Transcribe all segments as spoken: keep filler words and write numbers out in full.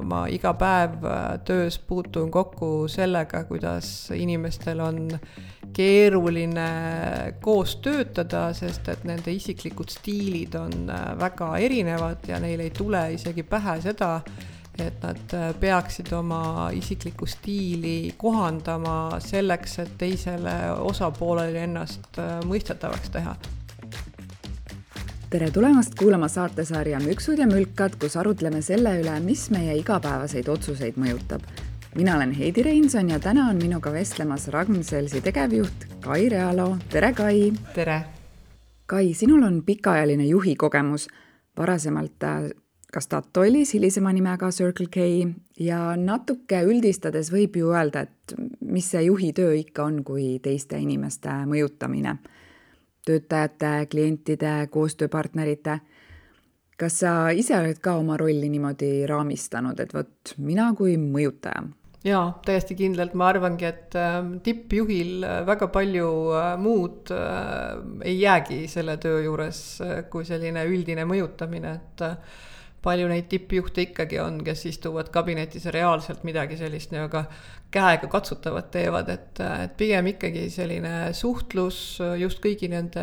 ma iga päev töös puutun kokku sellega, kuidas inimestel on keeruline koos töötada, sest et nende isiklikud stiilid on väga erinevad ja neil ei tule isegi pähe seda, et nad peaksid oma isiklikku stiili kohandama selleks, et teisele osapoolele ennast mõistetavaks teha. Tere tulemast kuulama saatesarja Müksud ja mülkad, kus arutleme selle üle, mis meie igapäevaseid otsuseid mõjutab. Mina olen Heidi Reinson ja täna on minuga vestlemas Ragn-Sellsi tegevjuht Kai Realo. Tere, Kai! Tere! Kai, sinul on pikaajaline juhi kogemus. Varasemalt ka Statoilis, hilisema nimega Circle K, ja natuke üldistades võib ju öelda, et mis see juhi töö ikka on kui teiste inimeste mõjutamine. Töötajate, klientide, koostööpartnerite. Kas sa ise oled ka oma rolli niimoodi raamistanud, et võt mina kui mõjutaja? Jaa, täiesti kindlalt. Ma arvangi, et tippjuhil väga palju muud ei jäägi selle töö juures kui selline üldine mõjutamine, et palju neid tippjuhte ikkagi on, kes istuvad kabinetis ja reaalselt midagi sellist nii-aga käega katsutavat teevad, et, et pigem ikkagi selline suhtlus just kõigi nende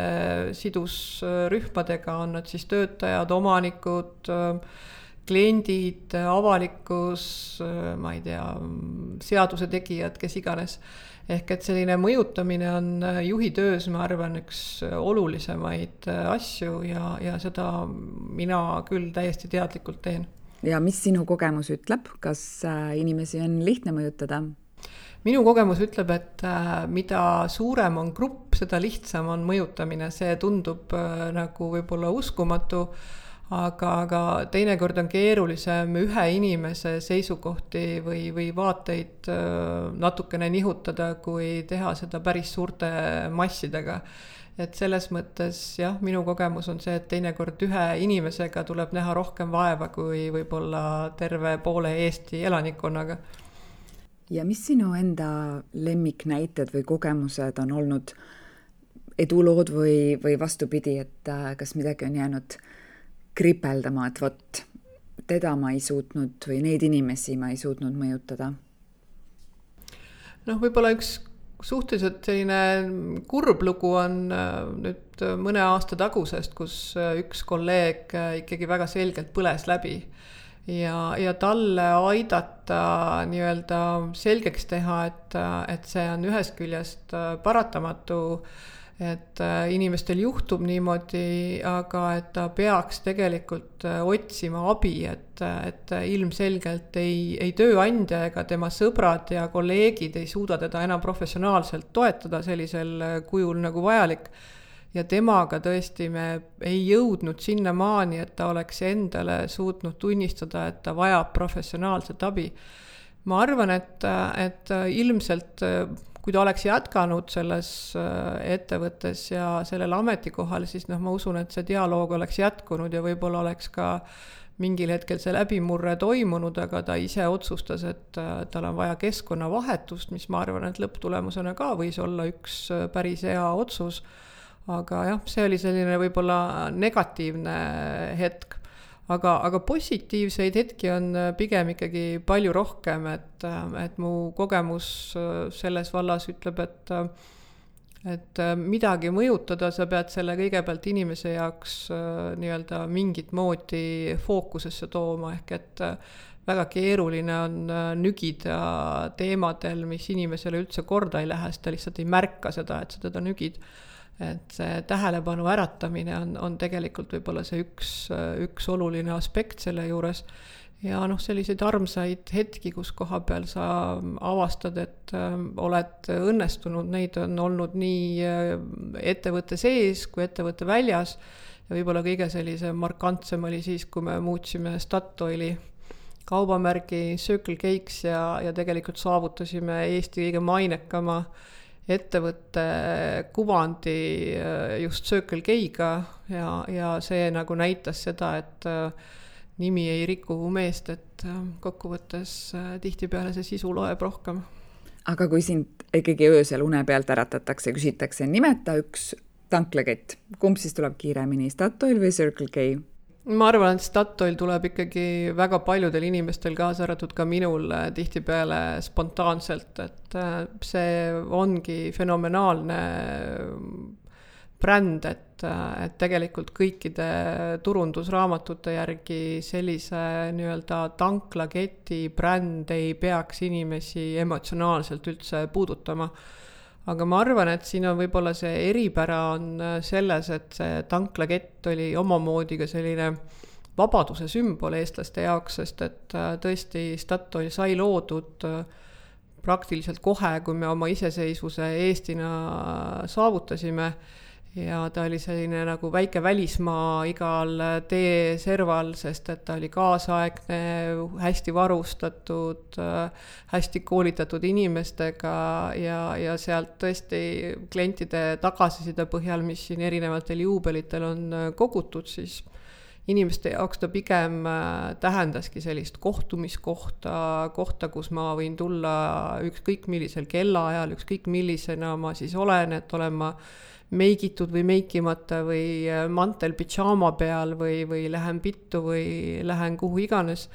sidusrühmadega, on nad siis töötajad, omanikud, kliendid, avalikkus, ma ei tea, seaduse tegijad, kes iganes. Ehk et selline mõjutamine on juhi töös, ma arvan, üks olulisemaid asju ja, ja seda mina küll täiesti teadlikult teen. Ja mis sinu kogemus ütleb? Kas inimesi on lihtne mõjutada? Minu kogemus ütleb, et mida suurem on grupp, seda lihtsam on mõjutamine. See tundub nagu võib-olla uskumatu, aga, aga teinekord on keerulisem ühe inimese seisukohti või, või vaateid natukene nihutada, kui teha seda päris suurte massidega. Et selles mõttes, jah, minu kogemus on see, et teinekord ühe inimesega tuleb näha rohkem vaeva kui võib-olla terve poole Eesti elanikkonnaga. Ja mis sinu enda lemmiknäited või kogemused on olnud edulood või, või vastupidi, et kas midagi on jäänud kripeldama, et võt, teda ma ei suutnud või neid inimesi ma ei suutnud mõjutada? Noh, võib-olla üks suhteliselt selline kurb lugu on nüüd mõne aasta tagusest, kus üks kolleeg ikkagi väga selgelt põles läbi ja, ja talle aidata nii-öelda selgeks teha, et, et see on ühest küljest paratamatu, et inimestel juhtub niimoodi, aga et ta peaks tegelikult otsima abi, et, et ilmselgelt ei, ei tööandja ega tema sõbrad ja kolleegid ei suuda teda enam professionaalselt toetada sellisel kujul nagu vajalik. Ja temaga tõesti me ei jõudnud sinna maani, et ta oleks endale suutnud tunnistada, et ta vajab professionaalset abi. Ma arvan, et, et ilmselt kui ta oleks jätkanud selles ettevõttes ja sellel ametikohal, siis noh, ma usun, et see dialoog oleks jätkunud ja võib-olla oleks ka mingil hetkel see läbimurre toimunud, aga ta ise otsustas, et tal on vaja keskkonnavahetust, mis ma arvan, et lõpptulemusena ka võis olla üks päris hea otsus. Aga jah, see oli selline võib-olla negatiivne hetk. Aga, aga positiivseid hetki on pigem ikkagi palju rohkem, et, et mu kogemus selles vallas ütleb, et, et midagi mõjutada, sa pead selle kõigepealt inimese jaoks nii-öelda mingit moodi fookusesse tooma, ehk et väga keeruline on nügida teemadel, mis inimesele üldse korda ei lähe, sest ta lihtsalt ei märka seda, et sa teda nügid. Et see tähelepanu äratamine on, on tegelikult võib-olla see üks, üks oluline aspekt selle juures. Ja noh, selliseid armsaid hetki, kus koha peal sa avastad, et oled õnnestunud, neid on olnud nii ettevõtte sees kui ettevõtte väljas. Ja võib-olla kõige sellise markantsem oli siis, kui me muutsime Statoili kaubamärgi Circle K's ja, ja tegelikult saavutasime Eesti kõige mainekama ettevõtte kuvandi just Circle K'ga ja, ja see nagu näitas seda, et nimi ei riku meest, et kokkuvõttes tihtipeale see sisu loeb rohkem. Aga kui sind ikkagi öösel une pealt äratatakse, küsitakse, nimeta üks tanklakett. Kumb siis tuleb kiiremini, Statoil või Circle K? ma arvan, et Statoil tuleb ikkagi väga paljudel inimestel, kaasa arvatud ka minul, tihtipeale spontaanselt, et see ongi fenomenaalne bränd, et, et tegelikult kõikide turundusraamatute järgi sellise nii-öelda tanklaketi bränd ei peaks inimesi emotsionaalselt üldse puudutama. Aga ma arvan, et siin on võib-olla see eripära on selles, et see tanklakett oli omamoodi ka selline vabaduse sümbol eestlaste jaoks, sest et tõesti Statoil sai loodud praktiliselt kohe, kui me oma iseseisvuse Eestina saavutasime. Ja ta oli selline nagu väike välismaa igal teeserval, sest et ta oli kaasaegne, hästi varustatud, hästi koolitatud inimestega ja, ja sealt tõesti klientide tagasiside põhjal, mis siin erinevatel juubelitel on kogutud, siis inimeste jaoks ta pigem tähendaski sellist kohtumiskohta, kohta, kus ma võin tulla ükskõik millisel kellaajal, ükskõik millisena ma siis olen, et olen ma meigitud või meikimata või mantel pidžaama peal või, või lähen pittu või lähen kuhu iganes.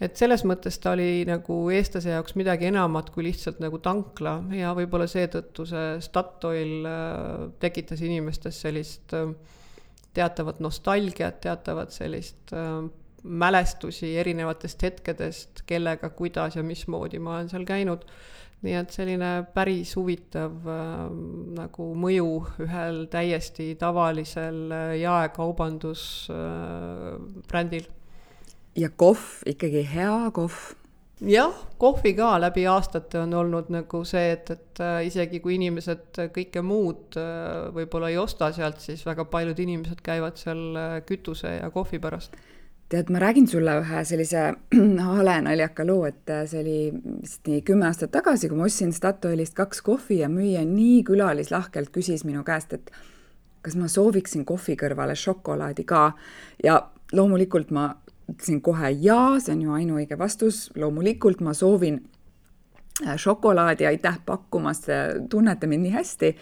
Et selles mõttes ta oli nagu eestlase jaoks midagi enamat kui lihtsalt nagu tankla ja võib-olla seetõttu see Statoil tekitas inimestes sellist teatavat nostalgiat, teatavat sellist mälestusi erinevatest hetkedest, kellega, kuidas ja mismoodi ma olen seal käinud. Nii et selline päris huvitav äh, nagu mõju ühel täiesti tavalisel jaekaubandus äh, brändil. Ja kohv, ikkagi hea kohv. Jah, kohvi ka läbi aastate on olnud nagu see, et, et äh, isegi kui inimesed kõike muud äh, võib-olla ei osta sealt, siis väga paljud inimesed käivad seal kütuse ja kohvi pärast. Tead, ma räägin sulle ühe sellise hale naljaka loo, et see oli vist nii kümme aastat tagasi, kui ma ostsin Statoilist kaks kohvi ja müüja nii külalislahkelt küsis minu käest, et kas ma sooviksin kohvi kõrvale šokolaadi ka. Ja loomulikult ma ütlesin kohe jaa, see on ju ainuõige vastus. Loomulikult ma soovin šokolaadi, aitäh pakkumast, tunnete mind nii hästi.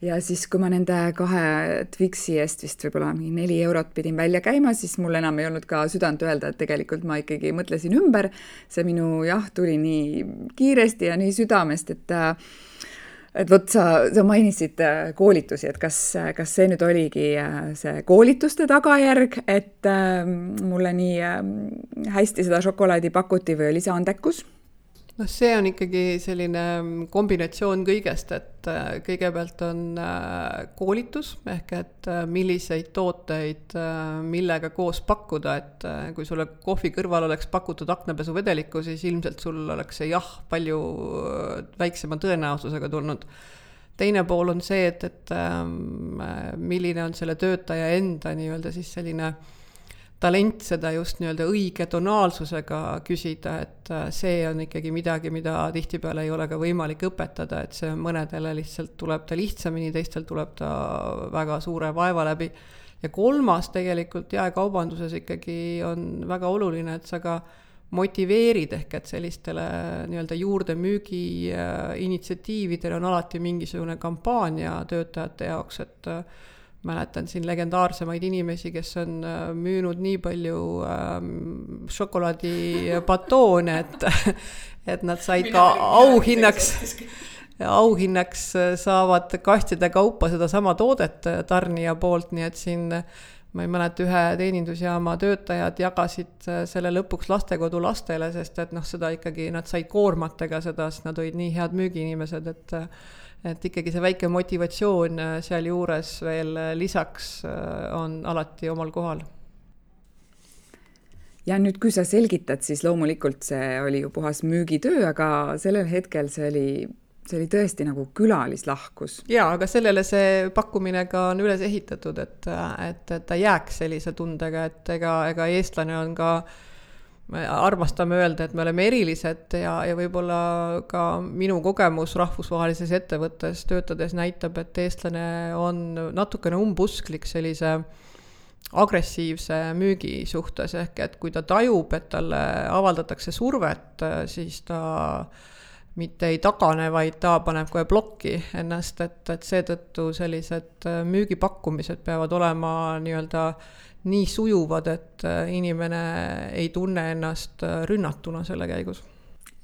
Ja siis, kui ma nende kahe Twixi eest vist võib-olla neli eurot pidin välja käima, siis mul enam ei olnud ka südant öelda, et tegelikult ma ikkagi mõtlesin ümber. See minu jah tuli nii kiiresti ja nii südamest, et, et võt, sa, sa mainisid koolitusi, et kas, kas see nüüd oligi see koolituste tagajärg, et mulle nii hästi seda šokolaadi pakuti või oli see andekus? No see on ikkagi selline kombinatsioon kõigest, et kõigepealt on koolitus, ehk et milliseid tooteid millega koos pakkuda, et kui sulle kohvi kõrval oleks pakutud aknapesuvedelikku, siis ilmselt sul oleks see jah palju väiksema tõenäosusega tulnud. Teine pool on see, et, et milline on selle töötaja enda nii-öelda siis selline talent seda just nii-öelda õige tonaalsusega küsida, et see on ikkagi midagi, mida tihtipeale ei ole ka võimalik õpetada, et see mõnedele lihtsalt tuleb ta lihtsamini, teistel tuleb ta väga suure vaeva läbi. Ja kolmas tegelikult jaekaubanduses ikkagi on väga oluline, et sa ka motiveerid ehk, et sellistele nii-öelda juurde müügi initsiatiividel on alati mingisugune kampaania töötajate jaoks, et mäletan siin legendaarsemaid inimesi, kes on müünud nii palju ähm, šokolaadipatoone, et, et nad said ka auhinnaks, auhinnaks saavad kastide kaupa seda sama toodet tarnija poolt, nii et siin ma ei mäleta, ühe teenindusjaama töötajad jagasid selle lõpuks lastekodu lastele, sest et noh, seda ikkagi nad said koormatega seda, sest nad olid nii head müügiinimesed, et et ikkagi see väike motivatsioon seal juures veel lisaks on alati omal kohal. Ja nüüd, kui sa selgitad, siis loomulikult see oli ju puhas müügitöö, aga sellel hetkel see oli, see oli tõesti nagu külalislahkus. Jaa, aga sellele see pakkumine ka on üles ehitatud, et, et, et ta jääks sellise tundega, et ega, ega eestlane on ka me armastame öelda, et me oleme erilised ja, ja võib-olla ka minu kogemus rahvusvahelises ettevõttes töötades näitab, et eestlane on natukene umbusklik sellise agressiivse müügi suhtes, ehk et kui ta tajub, et talle avaldatakse survet, siis ta mitte ei tagane, vaid ta paneb kohe blokki ennast, et, et seetõttu sellised müügipakkumised peavad olema nii-öelda nii sujuvad, et inimene ei tunne ennast rünnatuna selle käigus.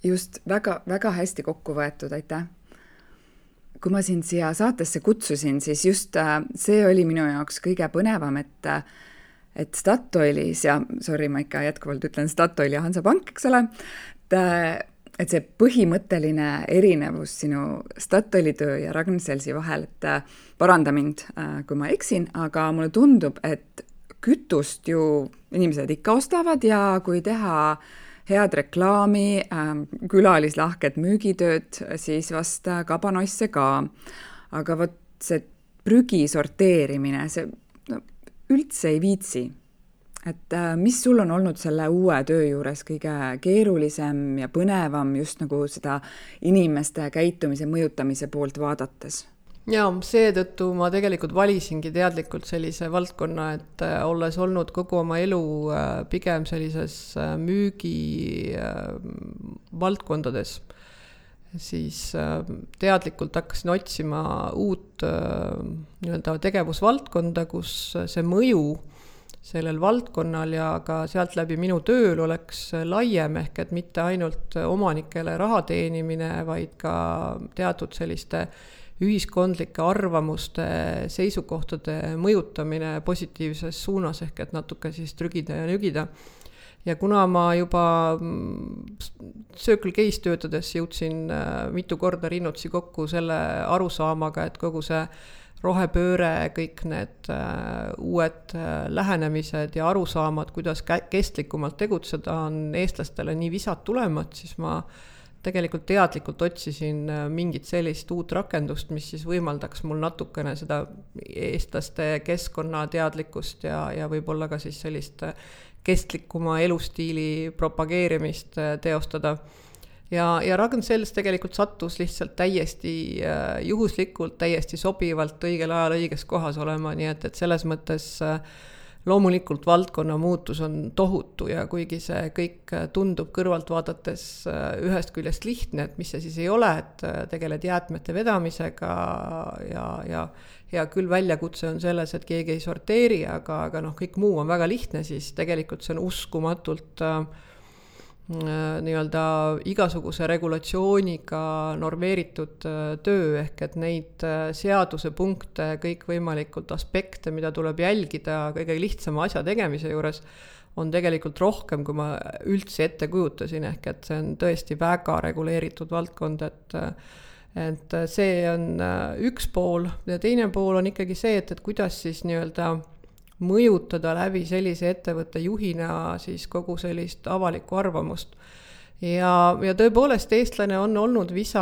Just, väga, väga hästi kokku võetud, aitäh. Kui ma sind siia saatesse kutsusin, siis just see oli minu jaoks kõige põnevam, et et Statoilis ja, sorry, ma ikka jätkuvalt ütlen Statoil ja Hansapank, eks ole, et, et see põhimõtteline erinevus sinu Statoili töö ja Ragn-Sellsi vahel, et paranda mind, kui ma eksin, aga mulle tundub, et kütust ju inimesed ikka ostavad ja kui teha head reklaami, külalislahked müügitööd, siis vast kabanoisse ka. Aga vot see prügi sorteerimine, see no, üldse ei viitsi. Et mis sul on olnud selle uue töö juures kõige keerulisem ja põnevam just nagu seda inimeste käitumise mõjutamise poolt vaadates? Ja seetõttu ma tegelikult valisingi teadlikult sellise valdkonna, et olles olnud kogu oma elu pigem sellises müügi valdkondades, siis teadlikult hakkasin otsima uut nii-öelda tegevusvaldkonda, kus see mõju sellel valdkonnal ja ka sealt läbi minu tööl oleks laiem, ehk et mitte ainult omanikele raha teenimine, vaid ka teatud selliste ühiskondlike arvamuste, seisukohtade mõjutamine positiivses suunas, ehk et natuke siis trügida ja nügida. Ja kuna ma juba Circle K's töötades jõudsin mitu korda rinnutsi kokku selle arusaamaga, et kogu see rohepööre, kõik need uued lähenemised ja arusaamad, kuidas kestlikumalt tegutseda, on eestlastele nii visad tulemad, siis ma tegelikult teadlikult otsisin mingit sellist uut rakendust, mis siis võimaldaks mul natukene seda eestlaste keskkonnateadlikkust ja, ja võib-olla ka siis sellist kestlikuma elustiili propageerimist teostada. Ja, ja Ragn-Sells tegelikult sattus lihtsalt täiesti juhuslikult, täiesti sobivalt õigel ajal õiges kohas olema, nii et, et selles mõttes loomulikult valdkonna muutus on tohutu ja kuigi see kõik tundub kõrvalt vaadates ühest küljest lihtne, et mis see siis ei ole, et tegeled jäätmete vedamisega ja, ja, ja küll väljakutse on selles, et keegi ei sorteeri, aga, aga noh, kõik muu on väga lihtne, siis tegelikult see on uskumatult nii-öelda igasuguse regulatsiooniga normeeritud töö, ehk et neid seaduse punkte, kõik võimalikult aspekte, mida tuleb jälgida kõige lihtsama asja tegemise juures, on tegelikult rohkem, kui ma üldse ette kujutasin, ehk et see on tõesti väga reguleeritud valdkond, et, et see on üks pool ja teine pool on ikkagi see, et, et kuidas siis nii-öelda mõjutada läbi sellise ettevõtte juhina siis kogu sellist avalikku arvamust. Ja, ja tõepoolest eestlane on olnud visa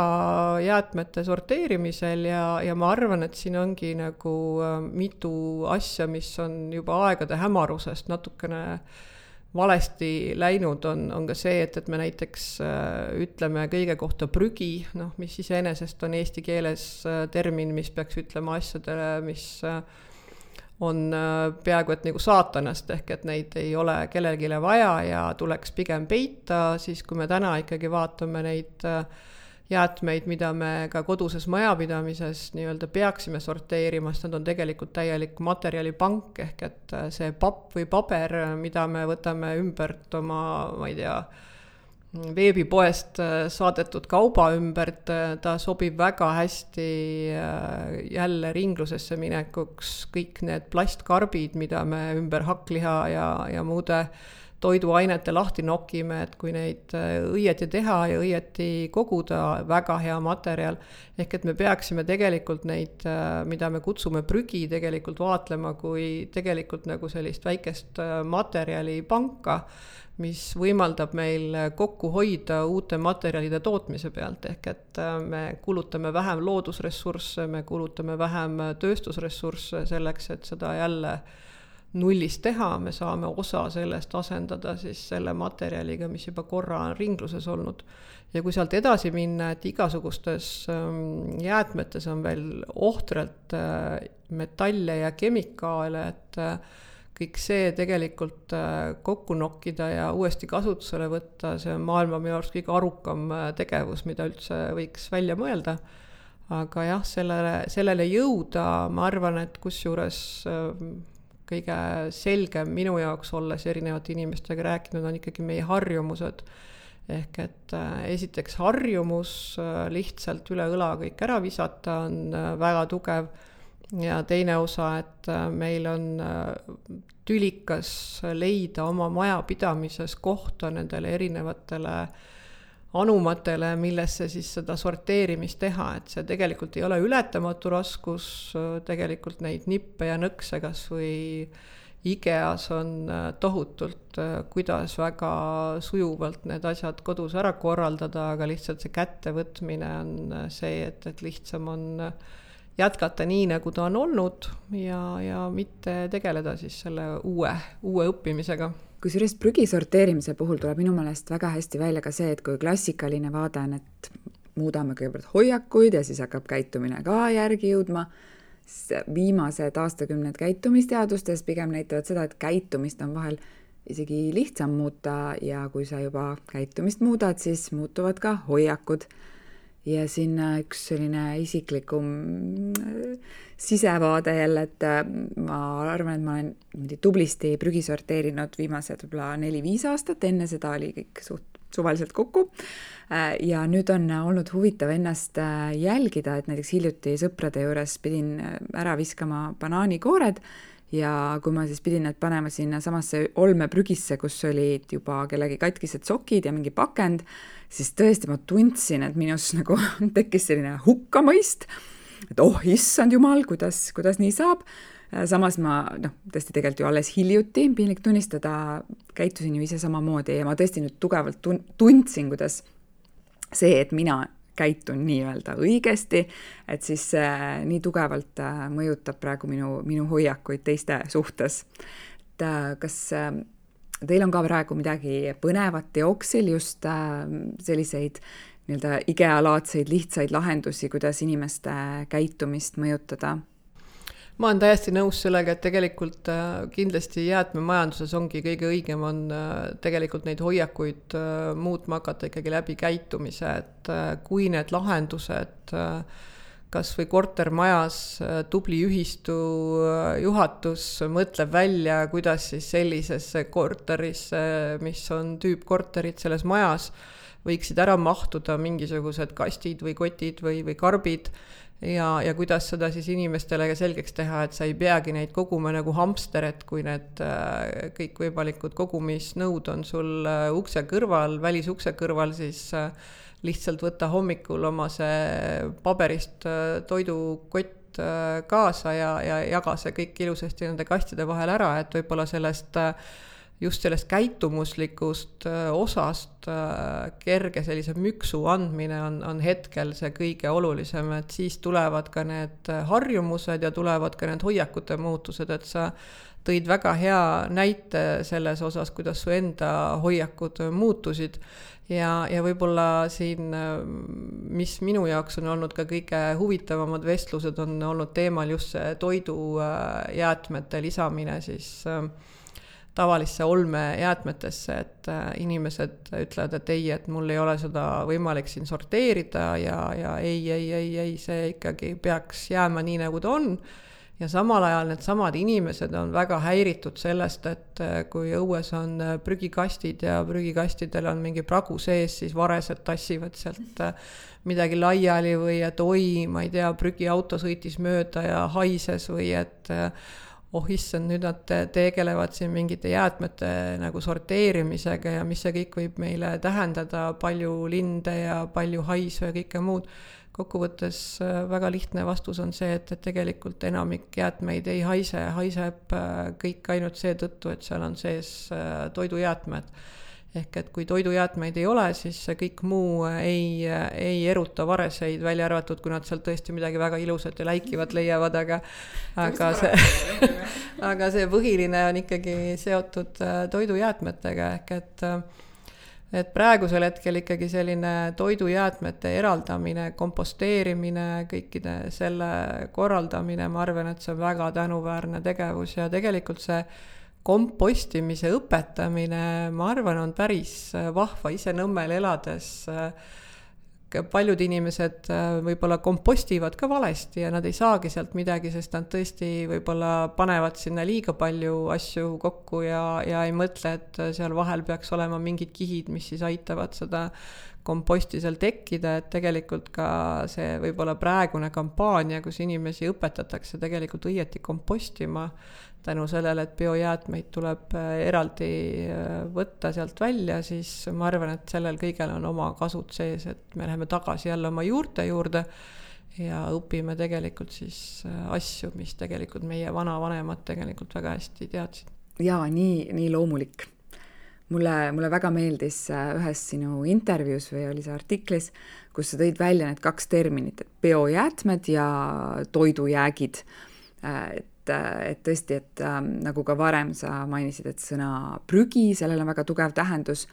jäätmete sorteerimisel ja, ja ma arvan, et siin ongi nagu mitu asja, mis on juba aegade hämarusest natukene valesti läinud, on, on ka see, et, et me näiteks ütleme kõige kohta prügi, noh, mis iseenesest on eesti keeles termin, mis peaks ütlema asjadele, mis on peaaegu et nagu saatanast, ehk et neid ei ole kellelgile vaja ja tuleks pigem peita, siis kui me täna ikkagi vaatame neid jäätmeid, mida me ka koduses majapidamises nii-öelda peaksime sorteerima, sest nad on tegelikult täielik materjalipank, ehk et see papp või paber, mida me võtame ümbert oma, ma ei tea, veebipoest saadetud kauba ümbert, ta sobib väga hästi jälle ringlusesse minekuks, kõik need plastkarbid, mida me ümber hakkliha ja, ja muude toiduainete lahti nokime, et kui neid õieti teha ja õieti koguda, väga hea materjal, ehk et me peaksime tegelikult neid, mida me kutsume prügi, tegelikult vaatlema kui tegelikult nagu sellist väikest materjalipanka, mis võimaldab meil kokku hoida uute materjalide tootmise pealt, ehk et me kulutame vähem loodusressursse, me kulutame vähem tööstusressursse selleks, et seda jälle nullist teha, me saame osa sellest asendada siis selle materjaliga, mis juba korra on ringluses olnud. Ja kui sealt edasi minna, et igasugustes jäätmetes on veel ohtralt metalle ja kemikaale, et kõik see tegelikult kokku nokkida ja uuesti kasutusele võtta, see on maailma minu arust kõige arukam tegevus, mida üldse võiks välja mõelda. Aga jah, sellele, sellele jõuda, ma arvan, et kusjuures kõige selgem minu jaoks, olles erinevate inimestega rääkinud, on ikkagi meie harjumused. Ehk et esiteks harjumus lihtsalt üle õla kõik ära visata on väga tugev ja teine osa, et meil on tülikas leida oma majapidamises kohta nendele erinevatele anumatele, millesse siis seda sorteerimist teha, et see tegelikult ei ole ületamatu raskus, tegelikult neid nippe ja nõkse kas või IKEAs on tohutult, kuidas väga sujuvalt need asjad kodus ära korraldada, aga lihtsalt see kättevõtmine on see, et, et lihtsam on jätkata nii, nagu ta on olnud ja, ja mitte tegeleda siis selle uue, uue õppimisega. Kusjuures prügi sorteerimise puhul tuleb minu meelest väga hästi välja ka see, et kui klassikaline vaade on, et muudame kõigepealt hoiakuid ja siis hakkab käitumine ka järgi jõudma, viimased aastakümned käitumisteadustes pigem näitavad seda, et käitumist on vahel isegi lihtsam muuta ja kui sa juba käitumist muudad, siis muutuvad ka hoiakud. Ja siin üks selline isiklikum sisevaade jälle, et ma arvan, et ma olen tublisti prügi sorteerinud viimased võib-olla neli-viis aastat, enne seda oli kõik suht suvaliselt kokku. Ja nüüd on olnud huvitav ennast jälgida, et näiteks hiljuti sõprade juures pidin ära viskama banaanikoored ja kui ma siis pidin need panema sinna samasse olmeprügisse, kus olid juba kellegi katkised sokid ja mingi pakend, siis tõesti ma tundsin, et minus nagu tekkis selline hukkamõist, et oh, issand jumal, kuidas, kuidas nii saab. Samas ma, noh, tõesti tegelikult ju alles hiljuti, piinlik tunnistada, käitusin ju ise samamoodi ja ma tõesti nüüd tugevalt tundsin, kuidas see, et mina käitun nii-öelda õigesti, et siis äh, nii tugevalt äh, mõjutab praegu minu, minu hoiakuid teiste suhtes. Et, äh, kas äh, teil on ka praegu midagi põnevat teoksil, just äh, selliseid nii-öelda IKEA-laadseid lihtsaid lahendusi, kuidas inimeste käitumist mõjutada? Ma olen täiesti nõus sellega, et tegelikult kindlasti jäätmemajanduses ongi kõige õigem on tegelikult neid hoiakuid muutma hakata ikkagi läbi käitumise, et kui need lahendused kas või kortermajas tubli ühistu juhatus mõtleb välja, kuidas siis sellisesse korterisse, mis on tüüpkorterid selles majas, võiksid ära mahtuda mingisugused kastid või kotid või, või karbid, Ja, ja kuidas seda siis inimestele selgeks teha, et sa ei peagi neid koguma nagu hamster, et kui need kõik võimalikud kogumisnõud on sul ukse kõrval, välisukse kõrval, siis lihtsalt võtta hommikul oma see paberist toidukott kaasa ja, ja jaga see kõik ilusasti nende kastide vahel ära, et võib-olla sellest just sellest käitumuslikust osast kerge sellise müksu andmine on, on hetkel see kõige olulisem, et siis tulevad ka need harjumused ja tulevad ka need hoiakute muutused, et sa tõid väga hea näite selles osas, kuidas su enda hoiakud muutusid ja, ja võib-olla siin, mis minu jaoks on olnud ka kõige huvitavamad vestlused, on olnud teemal just see toidujäätmete lisamine siis tavalisse olmejäätmetesse, et inimesed ütlevad, et ei, et mul ei ole seda võimalik siin sorteerida ja, ja ei, ei, ei, ei, see ikkagi peaks jääma nii, nagu ta on. Ja samal ajal need samad inimesed on väga häiritud sellest, et kui õues on prügikastid ja prügikastidel on mingi pragu sees, siis varesed tassivad sealt midagi laiali või et oi, ma ei tea, prügiauto sõitis mööda ja haises või et oh issand, nüüd nad tegelevad siin mingite jäätmete nagu sorteerimisega ja mis see kõik võib meile tähendada, palju linde ja palju haisu ja kõike muud. Kokkuvõttes väga lihtne vastus on see, et, et tegelikult enamik jäätmeid ei haise, haiseb kõik ainult seetõttu, et seal on sees toidujäätmed. Ehk et kui toidujäätmeid ei ole, siis kõik muu ei, ei eruta vareseid, välja arvatud, kui nad sealt tõesti midagi väga ilusat ja läikivat leiavad, aga, aga, see, aga see põhiline on ikkagi seotud toidujäätmetega, ehk et, et praegusel hetkel ikkagi selline toidujäätmete eraldamine, komposteerimine, kõikide selle korraldamine, ma arvan, et see on väga tänuväärne tegevus ja tegelikult see kompostimise õpetamine, ma arvan, on päris vahva ise Nõmmel elades. paljud inimesed võib-olla kompostivad ka valesti ja nad ei saagi sealt midagi, sest nad tõesti võib-olla panevad sinna liiga palju asju kokku ja, ja ei mõtle, et seal vahel peaks olema mingid kihid, mis siis aitavad seda komposti seal tekkida, et tegelikult ka see võib-olla praegune kampaania, kus inimesi õpetatakse tegelikult õieti kompostima, tänu sellele, et biojäätmeid tuleb eraldi võtta sealt välja, siis ma arvan, et sellel kõigel on oma kasud sees, et me läheme tagasi jälle oma juurte juurde ja õpime tegelikult siis asju, mis tegelikult meie vanavanemad tegelikult väga hästi teadsid. Jaa, nii, nii loomulik. Mulle, mulle väga meeldis ühes sinu intervjuus või oli see artiklis, kus sa tõid välja need kaks terminit, et biojäätmed ja toidujäägid. Et et tõesti, et ähm, nagu ka varem sa mainisid, et sõna prügi, sellel on väga tugev tähendus,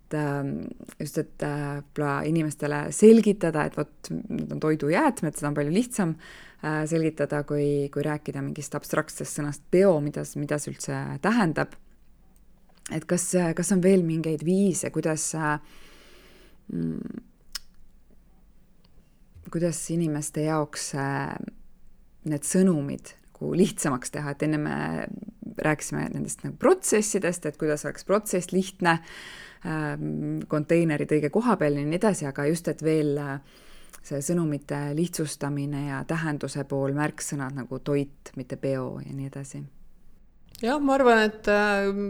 et ähm, just, et äh, inimestele selgitada, et vot need on toidujäätmed, seda on palju lihtsam äh, selgitada, kui, kui rääkida mingist abstraktsest sõnast bio, mida, mida see üldse tähendab. Et kas, kas on veel mingeid viise, kuidas äh, mm, kuidas inimeste jaoks äh, need sõnumid lihtsamaks teha, et enne me rääkisime nendest nagu protsessidest, et kuidas oleks protsess lihtne, konteinerid õige koha peal ja nii edasi, aga just, et veel see sõnumite lihtsustamine ja tähenduse pool märksõnad nagu toit, mitte bio ja nii edasi. Jah, ma arvan, et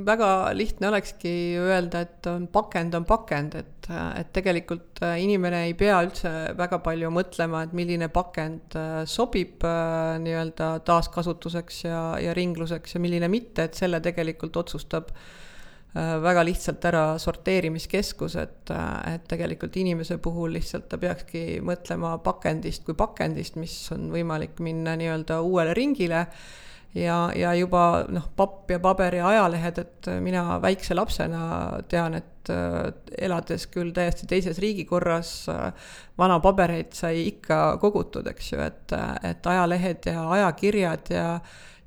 väga lihtne olekski öelda, et on pakend on pakend, et, et tegelikult inimene ei pea üldse väga palju mõtlema, et milline pakend sobib nii-öelda taaskasutuseks ja, ja ringluseks ja milline mitte, et selle tegelikult otsustab väga lihtsalt ära sorteerimiskeskus, et, et tegelikult inimese puhul lihtsalt ta peakski mõtlema pakendist kui pakendist, mis on võimalik minna nii-öelda uuele ringile, Ja, ja juba noh, papp ja paber ja ajalehed, et mina väikse lapsena tean, et elades küll täiesti teises riigikorras vana pabereid sai ikka kogutud, eks ju, et, et ajalehed ja ajakirjad ja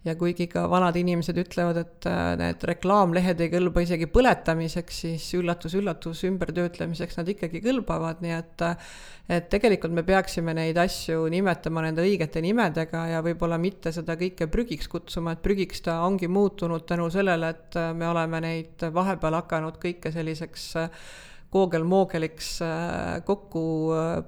Ja kuigi ka vanad inimesed ütlevad, et need reklaamlehed ei kõlba isegi põletamiseks, siis üllatus, üllatus ümbertöötlemiseks nad ikkagi kõlbavad, nii et, et tegelikult me peaksime neid asju nimetama nende õigete nimedega ja võib-olla mitte seda kõike prügiks kutsuma, et prügiks ta ongi muutunud tänu sellele, et me oleme neid vahepeal hakanud kõike selliseks koogel-moogeliks kokku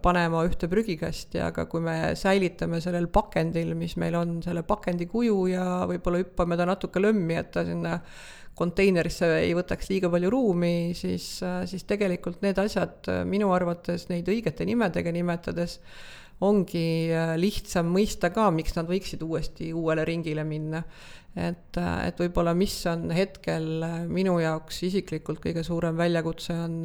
panema ühte prügikasti, aga kui me säilitame sellel pakendil, mis meil on selle pakendi kuju ja võib-olla hüppame ta natuke lömmi, et ta sinna konteinerisse ei võtaks liiga palju ruumi, siis, siis tegelikult need asjad minu arvates neid õigete nimedega nimetades ongi lihtsam mõista ka, miks nad võiksid uuesti uuele ringile minna. Et, et võib-olla mis on hetkel minu jaoks isiklikult kõige suurem väljakutse on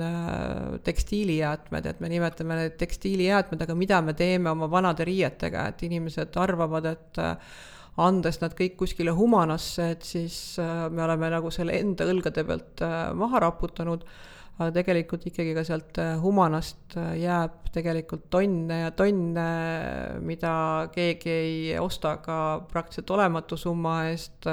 tekstiilijäätmed, et me nimetame need tekstiilijäätmed, aga mida me teeme oma vanade riietega, et inimesed arvavad, et andes nad kõik kuskile humanasse, et siis me oleme nagu selle enda õlgade pealt maha raputanud, aga tegelikult ikkagi ka sealt humanast jääb tegelikult tonne ja tonne, mida keegi ei osta ka praktiliselt olematu summa eest.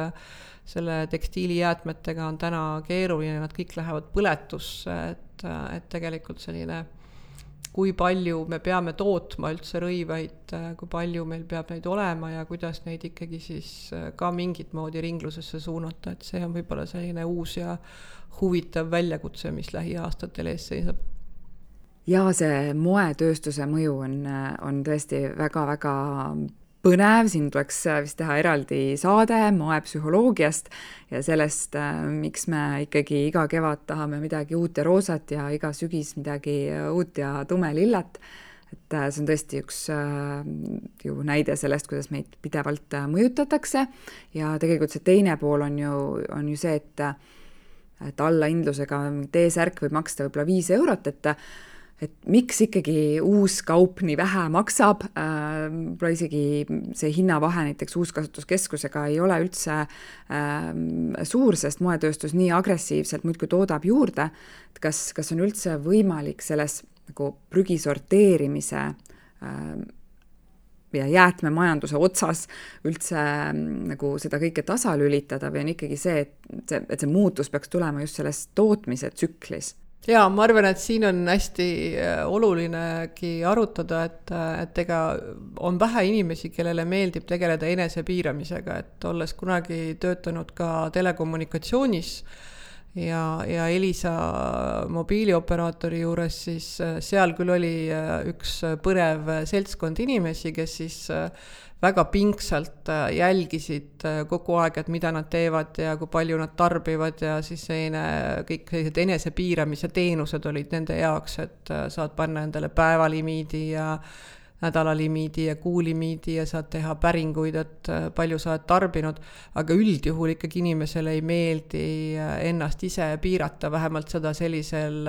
Selle tekstiilijäätmetega on täna keeruline, nad kõik lähevad põletusse, et, et tegelikult selline, kui palju me peame tootma üldse rõivaid, kui palju meil peab neid olema ja kuidas neid ikkagi siis ka mingit moodi ringlusesse suunata, et see on võib-olla selline uus ja huvitav väljakutse, mis lähiaastatel ees seisab. Ja see moetööstuse mõju on, on tõesti väga-väga põnev, siin tuleks vist teha eraldi saade moepsühholoogiast ja sellest, miks me ikkagi iga kevad tahame midagi uut ja roosat ja iga sügis midagi uut ja tumelillat. Et see on tõesti üks ju näide sellest, kuidas meid pidevalt mõjutatakse ja tegelikult see teine pool on ju, on ju see, et et alla hindlusega T-särk võib maksta võib-olla viis eurot, et, et miks ikkagi uus kaup nii vähe maksab, võib-olla isegi see hinnavahe näiteks uuskasutuskeskusega ei ole üldse äh, suur, sest moetööstus nii agressiivselt muidkui toodab juurde, et kas, kas on üldse võimalik selles nagu prügi sorteerimise äh, ja jäätmemajanduse otsas üldse nagu seda kõike tasalülitada või on ikkagi see, et see, et see muutus peaks tulema just selles tootmise tsüklis? Jaa, ma arvan, et siin on hästi olulinegi arutada, et, et ega on vähe inimesi, kellele meeldib tegeleda enesepiiramisega, et olles kunagi töötanud ka telekommunikatsioonis ja, ja Elisa mobiilioperaatori juures, siis seal küll oli üks põnev seltskond inimesi, kes siis väga pingsalt jälgisid kogu aeg, et mida nad teevad ja kui palju nad tarbivad ja siis seine, kõik sellised enesepiiramise teenused olid nende jaoks, et saad panna endale päevalimiidi ja nädalalimiidi ja kuulimiidi ja saad teha päringuid, et palju sa oled tarbinud, aga üldjuhul ikkagi inimesele ei meeldi ennast ise piirata, vähemalt seda sellisel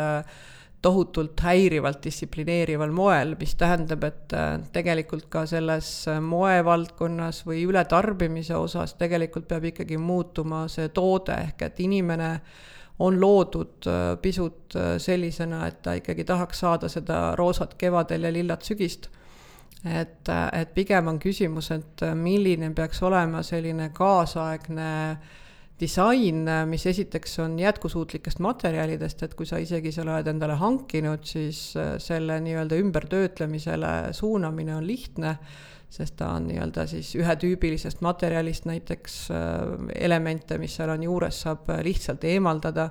tohutult häirivalt distsiplineerival moel, mis tähendab, et tegelikult ka selles moevaldkonnas või ületarbimise osas tegelikult peab ikkagi muutuma see toode, ehk et inimene on loodud pisut sellisena, et ta ikkagi tahaks saada seda roosat kevadel ja lillat sügist. Et, et pigem on küsimus, et milline peaks olema selline kaasaegne disain, mis esiteks on jätkusuutlikest materjalidest, et kui sa isegi selle oled endale hankinud, siis selle nii-öelda ümbertöötlemisele suunamine on lihtne, sest ta on nii-öelda siis ühetüübilisest materjalist näiteks elemente, mis seal on juures, saab lihtsalt eemaldada.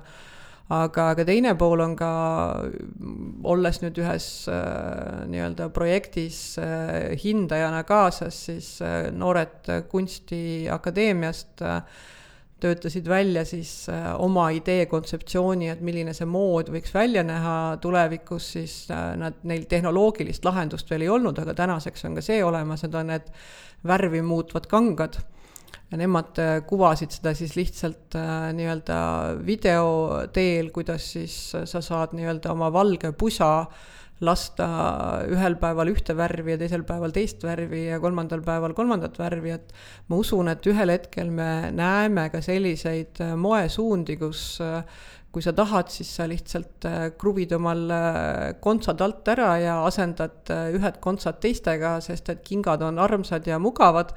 Aga, aga teine pool on ka, olles nüüd ühes nii-öelda projektis hindajana kaasas, siis noored kunstiakadeemiast töötasid välja siis oma idee kontseptsiooni, et milline see mood võiks välja näha tulevikus, siis nad, neil tehnoloogilist lahendust veel ei olnud, aga tänaseks on ka see olemas, et on need värvi muutvad kangad. Ja nemad kuvasid seda siis lihtsalt nii-öelda video teel, kuidas siis sa saad nii-öelda oma valge pusa lasta ühel päeval ühte värvi ja teisel päeval teist värvi ja kolmandal päeval kolmandat värvi, et ma usun, et ühel hetkel me näeme ka selliseid moesuundi, kus kui sa tahad, siis sa lihtsalt kruvid omal kontsad alt ära ja asendad ühed kontsad teistega, sest et kingad on armsad ja mugavad,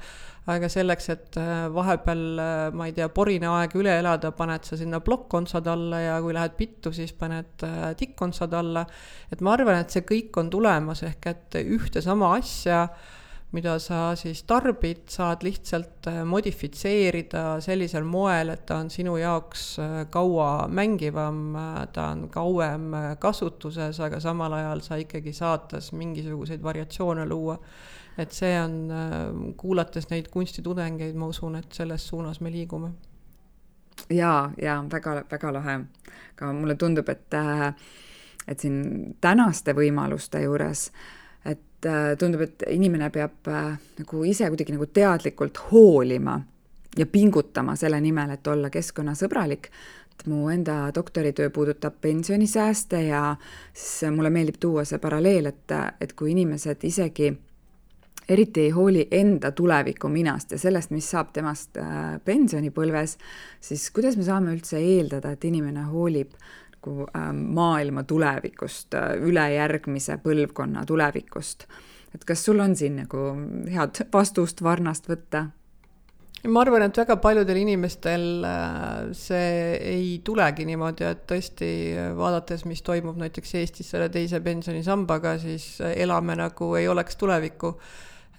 aga selleks, et vahepeal, ma ei tea, porine aeg üle elada, paned sa sinna plokkontsad alla ja kui lähed pittu, siis paned tikkontsad alla. Et ma arvan, et see kõik on tulemas, ehk et ühte sama asja, mida sa siis tarbid, saad lihtsalt modifitseerida sellisel moel, et ta on sinu jaoks kaua mängivam, ta on kauem kasutuses, aga samal ajal sa ikkagi saatas mingisuguseid variatsioone luua. Et see on, kuulates neid kunstitudengeid, ma usun, et selles suunas me liigume. Jaa, jaa, väga, väga lahe. Aga mulle tundub, et, et siin tänaste võimaluste juures, et tundub, et inimene peab nagu ise kuidagi nagu teadlikult hoolima ja pingutama selle nimel, et olla keskkonnasõbralik. Et mu enda doktoritöö puudutab pensionisääste ja siis mulle meeldib tuua see paralleel, et, et kui inimesed isegi eriti ei hooli enda tuleviku minast ja sellest, mis saab temast pensionipõlves, siis kuidas me saame üldse eeldada, et inimene hoolib maailma tulevikust, üle järgmise põlvkonna tulevikust. Et kas sul on siin nagu head vastust varnast võtta? Ma arvan, et väga paljudel inimestel see ei tulegi niimoodi, et tõesti vaadates, mis toimub näiteks Eestis selle teise pensionisambaga, siis elame nagu ei oleks tulevikku.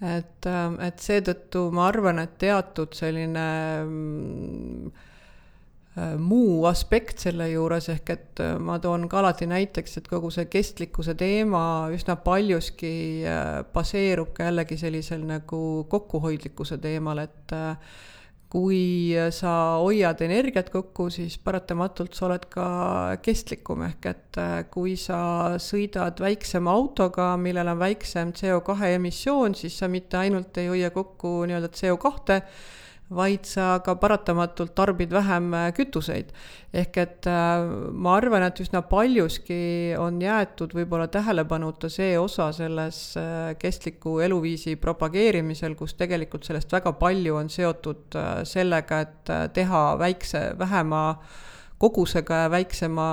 Et, et seetõttu ma arvan, et teatud selline muu aspekt selle juures, ehk et ma toon ka alati näiteks, et kogu see kestlikkuse teema üsna paljuski baseerub ka jällegi sellisel nagu kokkuhoidlikkuse teemal, et kui sa hoiad energiat kokku, siis paratamatult sa oled ka kestlikum, ehk et kui sa sõidad väiksema autoga, millel on väiksem C O kahe emissioon, siis sa mitte ainult ei hoia kokku nii-öelda C O kahte, vaid sa ka paratamatult tarbid vähem kütuseid. Ehk et ma arvan, et üsna paljuski on jäetud võib-olla tähelepanuta see osa selles kestliku eluviisi propageerimisel, kus tegelikult sellest väga palju on seotud sellega, et teha väikse, vähema kogusega ja väiksema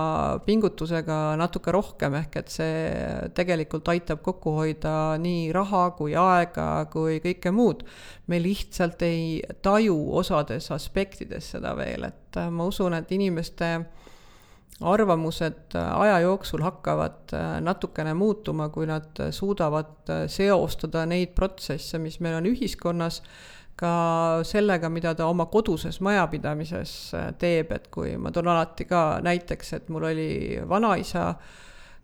pingutusega natuke rohkem, ehk et see tegelikult aitab kokku hoida nii raha kui aega kui kõike muud. Me lihtsalt ei taju osades aspektides seda veel, et ma usun, et inimeste arvamused aja jooksul hakkavad natukene muutuma, kui nad suudavad seostada neid protsesse, mis meil on ühiskonnas, ka sellega, mida ta oma koduses majapidamises teeb, et kui ma toon alati ka näiteks, et mul oli vanaisa,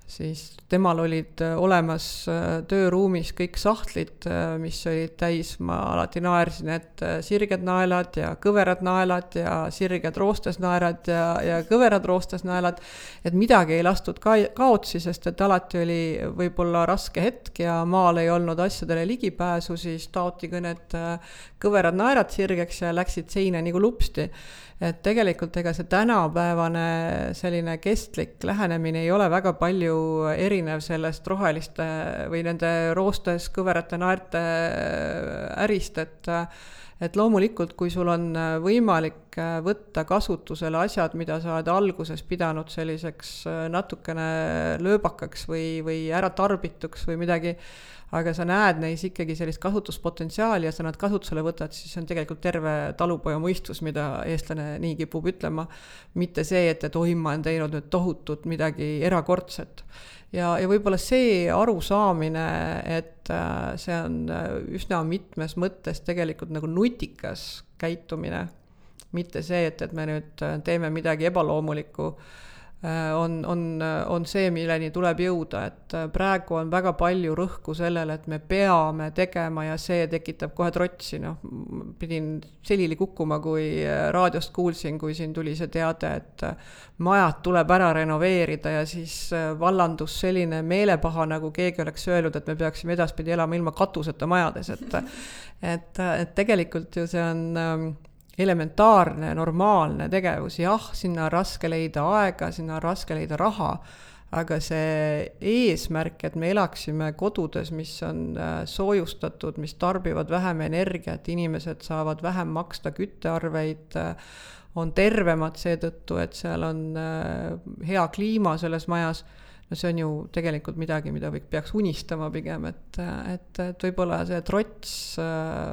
siis temal olid olemas tööruumis kõik sahtlid, mis olid täis, ma alati naersin, et sirged naelad ja kõverad naelad ja sirged roostes naelad ja, ja kõverad roostes naelad, et midagi ei lastud ka kaotsi, sest et alati oli võib-olla raske hetk ja maal ei olnud asjadele ligipääsu, siis taoti kõned kõverad naerad sirgeks ja läksid seina nagu lupsti. Et tegelikult ega see tänapäevane selline kestlik lähenemine ei ole väga palju erinev sellest roheliste või nende roostes kõverate naerte ärist, et, et loomulikult, kui sul on võimalik võtta kasutusele asjad, mida sa oled alguses pidanud selliseks natukene lööbakaks või, või ära tarbituks või midagi, aga sa näed neis ikkagi sellist kasutuspotentsiaali ja sa nad kasutusele võtad, siis on tegelikult terve talupoja mõistus, mida eestlane nii kipub ütlema, mitte see, et, et oi, ma olen teinud nüüd tohutut midagi erakordset. Ja, ja võib-olla see arusaamine, et see on üsna mitmes mõttes tegelikult nagu nutikas käitumine, mitte see, et, et me nüüd teeme midagi ebaloomulikku, On, on, on see, milleni tuleb jõuda, et praegu on väga palju rõhku sellele, et me peame tegema ja see tekitab kohe trotsi. No, pidin selili kukkuma, kui raadiost kuulsin, kui siin tuli see teade, et majad tuleb ära renoveerida ja siis vallandus selline meelepaha, nagu keegi oleks öelnud, et me peaksime edaspidi elama ilma katuseta majades. Et, et, et tegelikult ju see on elementaarne, normaalne tegevus, jah, sinna on raske leida aega, sinna on raske leida raha, aga see eesmärk, et me elaksime kodudes, mis on soojustatud, mis tarbivad vähem energiat, inimesed saavad vähem maksta küttearveid, on tervemad seetõttu, et seal on hea kliima selles majas, no see on ju tegelikult midagi, mida võiks, peaks unistama pigem, et, et, et võib-olla see trots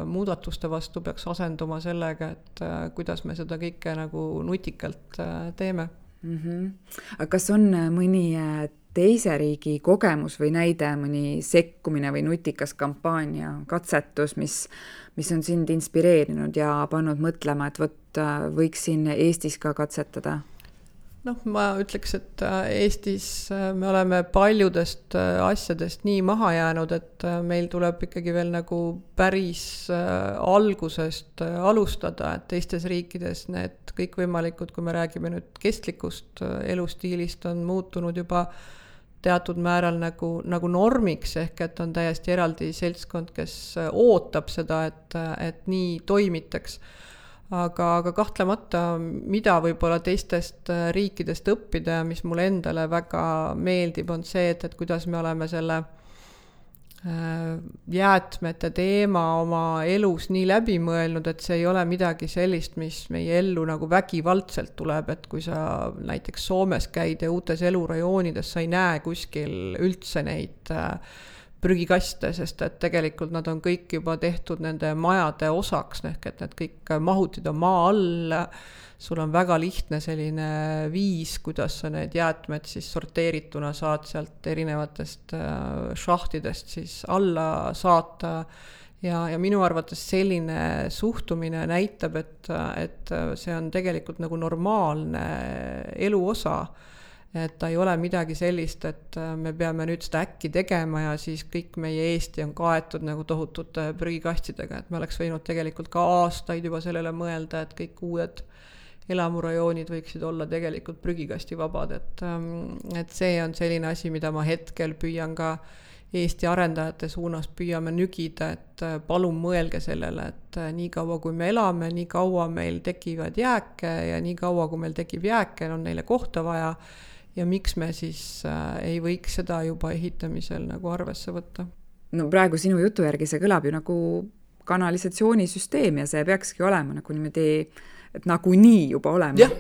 muudatuste vastu peaks asenduma sellega, et kuidas me seda kõike nagu nutikalt teeme. Mm-hmm. Aga kas on mõni teise riigi kogemus või näide, mõni sekkumine või nutikas kampaania, katsetus, mis, mis on sind inspireerinud ja pannud mõtlema, et võt, võiks siin Eestis ka katsetada? Noh, ma ütleks, et Eestis me oleme paljudest asjadest nii maha jäänud, et meil tuleb ikkagi veel nagu päris algusest alustada, et teistes riikides need kõikvõimalikud, kui me räägime nüüd kestlikust elustiilist, on muutunud juba teatud määral nagu, nagu normiks, ehk et on täiesti eraldi seltskond, kes ootab seda, et, et nii toimitaks. Aga, aga kahtlemata, mida võib-olla teistest riikidest õppida ja mis mulle endale väga meeldib, on see, et, et kuidas me oleme selle jäätmete teema oma elus nii läbi mõelnud, et see ei ole midagi sellist, mis meie ellu nagu vägivaldselt tuleb, et kui sa näiteks Soomes käid ja uutes elurajoonides, sa ei näe kuskil üldse neid prügikaste, sest et tegelikult nad on kõik juba tehtud nende majade osaks, ehk et need kõik mahutid on maa all, sul on väga lihtne selline viis, kuidas sa need jäätmed siis sorteerituna saad sealt erinevatest šahtidest siis alla saata ja, ja minu arvates selline suhtumine näitab, et, et see on tegelikult nagu normaalne elu osa, et ta ei ole midagi sellist, et me peame nüüd seda äkki tegema ja siis kõik meie Eesti on kaetud nagu tohutute prügikastidega, et me oleks võinud tegelikult ka aastaid juba sellele mõelda, et kõik uued elamurajoonid võiksid olla tegelikult prügikasti vabad, et, et see on selline asi, mida ma hetkel püüan ka Eesti arendajate suunas püüame nügida, et palun mõelge sellele, et nii kaua kui me elame, nii kaua meil tekivad jääke ja nii kaua kui meil tekib jääke, on neile kohta vaja ja miks me siis ei võiks seda juba ehitamisel nagu arvesse võtta? No praegu sinu jutu järgi see kõlab ju nagu kanalisatsioonisüsteem ja see peakski olema nagu niimoodi, et nagu nii juba olema. Jah,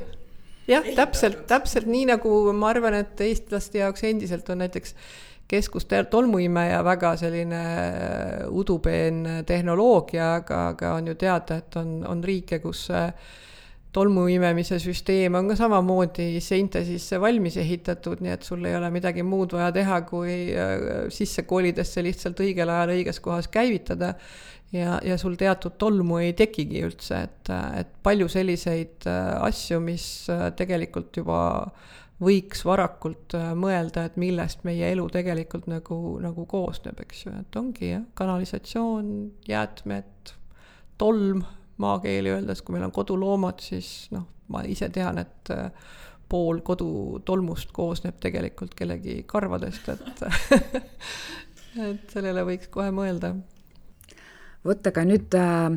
jah täpselt, täpselt nii nagu ma arvan, et eestlaste jaoks endiselt on näiteks keskus tolmuimeja väga selline udupeen tehnoloogia, aga, aga on ju teada, et on, on riike, kus tolmuimemise süsteem on ka samamoodi seinte sisse valmis ehitatud, nii et sul ei ole midagi muud vaja teha, kui sisse koolides see lihtsalt õigel ajal õiges kohas käivitada ja, ja sul teatud tolmu ei tekigi üldse, et, et palju selliseid asju, mis tegelikult juba võiks varakult mõelda, et millest meie elu tegelikult nagu, nagu koosneb, eks ju, et ongi jah, kanalisatsioon, jäätmed, tolm, maakeeli öeldes, kui meil on koduloomad, siis noh, ma ise tean, et pool kodutolmust koosneb tegelikult kellegi karvadest, et, et sellele võiks kohe mõelda. Vot, aga nüüd äh,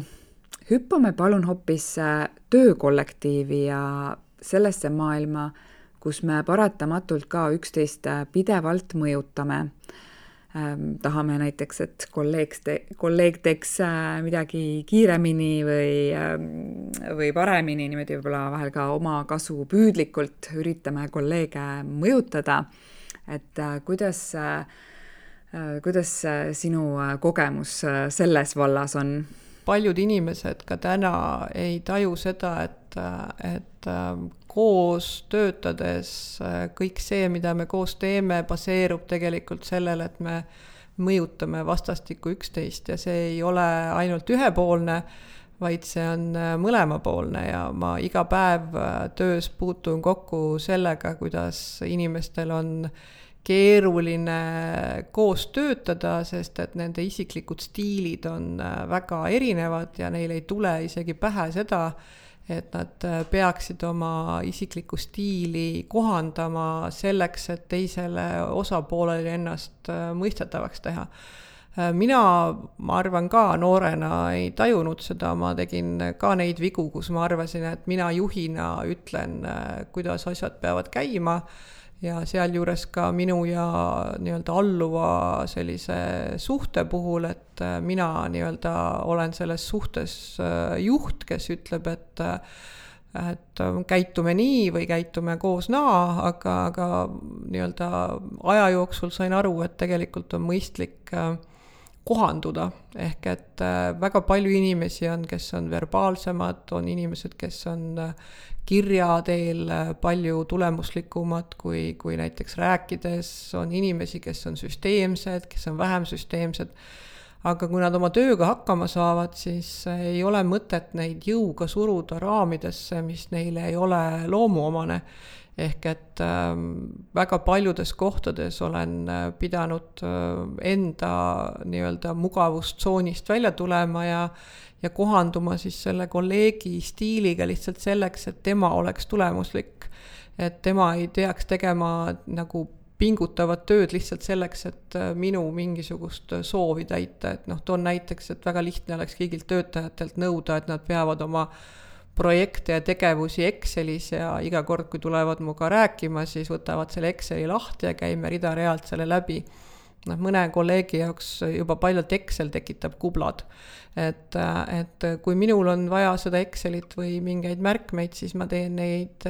hüppame palun hoopis äh, töökollektiivi ja sellesse maailma, kus me paratamatult ka üksteist pidevalt mõjutame. Tahame näiteks, et kolleeg, te, kolleeg teeks midagi kiiremini või, või paremini, niimoodi võib-olla vahel ka oma kasu püüdlikult üritame kolleege mõjutada. Et kuidas, kuidas sinu kogemus selles vallas on? Paljud inimesed ka täna ei taju seda, et, et koos töötades kõik see, mida me koos teeme, baseerub tegelikult sellele, et me mõjutame vastastikku üksteist ja see ei ole ainult ühepoolne, vaid see on mõlemapoolne ja ma iga päev töös puutun kokku sellega, kuidas inimestel on keeruline koos töötada, sest et nende isiklikud stiilid on väga erinevad ja neil ei tule isegi pähe seda, et nad peaksid oma isiklikku stiili kohandama selleks, et teisele osapoolele ennast mõistetavaks teha. Mina, ma arvan ka noorena ei tajunud seda, ma tegin ka neid vigu, kus ma arvasin, et mina juhina ütlen, kuidas asjad peavad käima ja sealjuures ka minu ja nii-öelda alluva sellise suhte puhul, et mina nii-öelda olen selles suhtes juht, kes ütleb, et, et käitume nii või käitume koos naa, aga, aga nii-öelda aja jooksul sain aru, et tegelikult on mõistlik kohanduda, ehk et väga palju inimesi on, kes on verbaalsemad, on inimesed, kes on kirja teel palju tulemuslikumad kui, kui näiteks rääkides, on inimesi, kes on süsteemsed, kes on vähem süsteemsed, aga kui nad oma tööga hakkama saavad, siis ei ole mõtet neid jõuga suruda raamidesse, mis neile ei ole loomuomane. Ehk et äh, väga paljudes kohtades olen pidanud enda nii-öelda mugavustsoonist välja tulema ja, ja kohanduma siis selle kolleegi stiiliga lihtsalt selleks, et tema oleks tulemuslik. Et tema ei peaks tegema nagu pingutavat tööd lihtsalt selleks, et minu mingisugust soovi täita. Et noh, toon näiteks, et väga lihtne oleks kõigilt töötajatelt nõuda, et nad peavad oma projekte ja tegevusi Excelis ja iga kord, kui tulevad muga rääkima, siis võtavad selle Exceli lahti ja käime rida-realt selle läbi. No, mõne kolleegi jaoks juba paljalt Excel tekitab kublad. Et, et kui minul on vaja seda Excelit või mingeid märkmeid, siis ma teen neid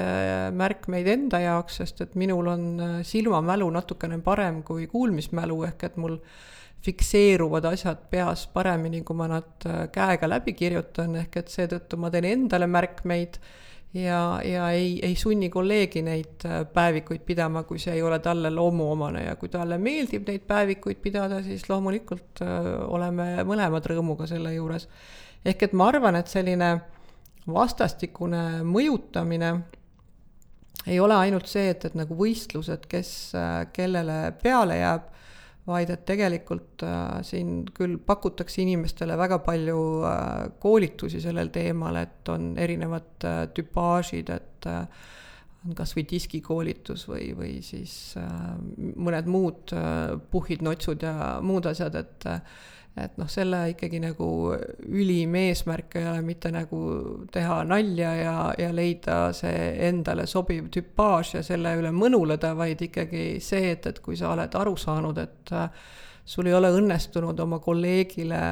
märkmeid enda jaoks, sest et minul on silmamälu natukene parem kui kuulmismälu, ehk et mul fikseeruvad asjad peas paremini, kui ma nad käega läbi kirjutan, ehk et seetõttu ma teen endale märkmeid ja, ja ei, ei sunni kolleegi neid päevikuid pidama, kui see ei ole talle loomuomane ja kui talle meeldib neid päevikuid pidada, siis loomulikult oleme mõlemad rõõmuga selle juures. Ehk et ma arvan, et selline vastastikune mõjutamine ei ole ainult see, et, et nagu võistlused, kes kellele peale jääb, vaid et tegelikult äh, siin küll pakutakse inimestele väga palju äh, koolitusi sellel teemal, et on erinevad äh, tüpaažid, et äh, on kas või diskikoolitus või, või siis äh, mõned muud äh, puhid, notsud ja muud asjad, et äh, et noh, selle ikkagi nagu ülim eesmärk ei ole mitte nagu teha nalja ja, ja leida see endale sobiv tüpaaž ja selle üle mõnuleda, vaid ikkagi see, et, et kui sa oled aru saanud, et sul ei ole õnnestunud oma kolleegile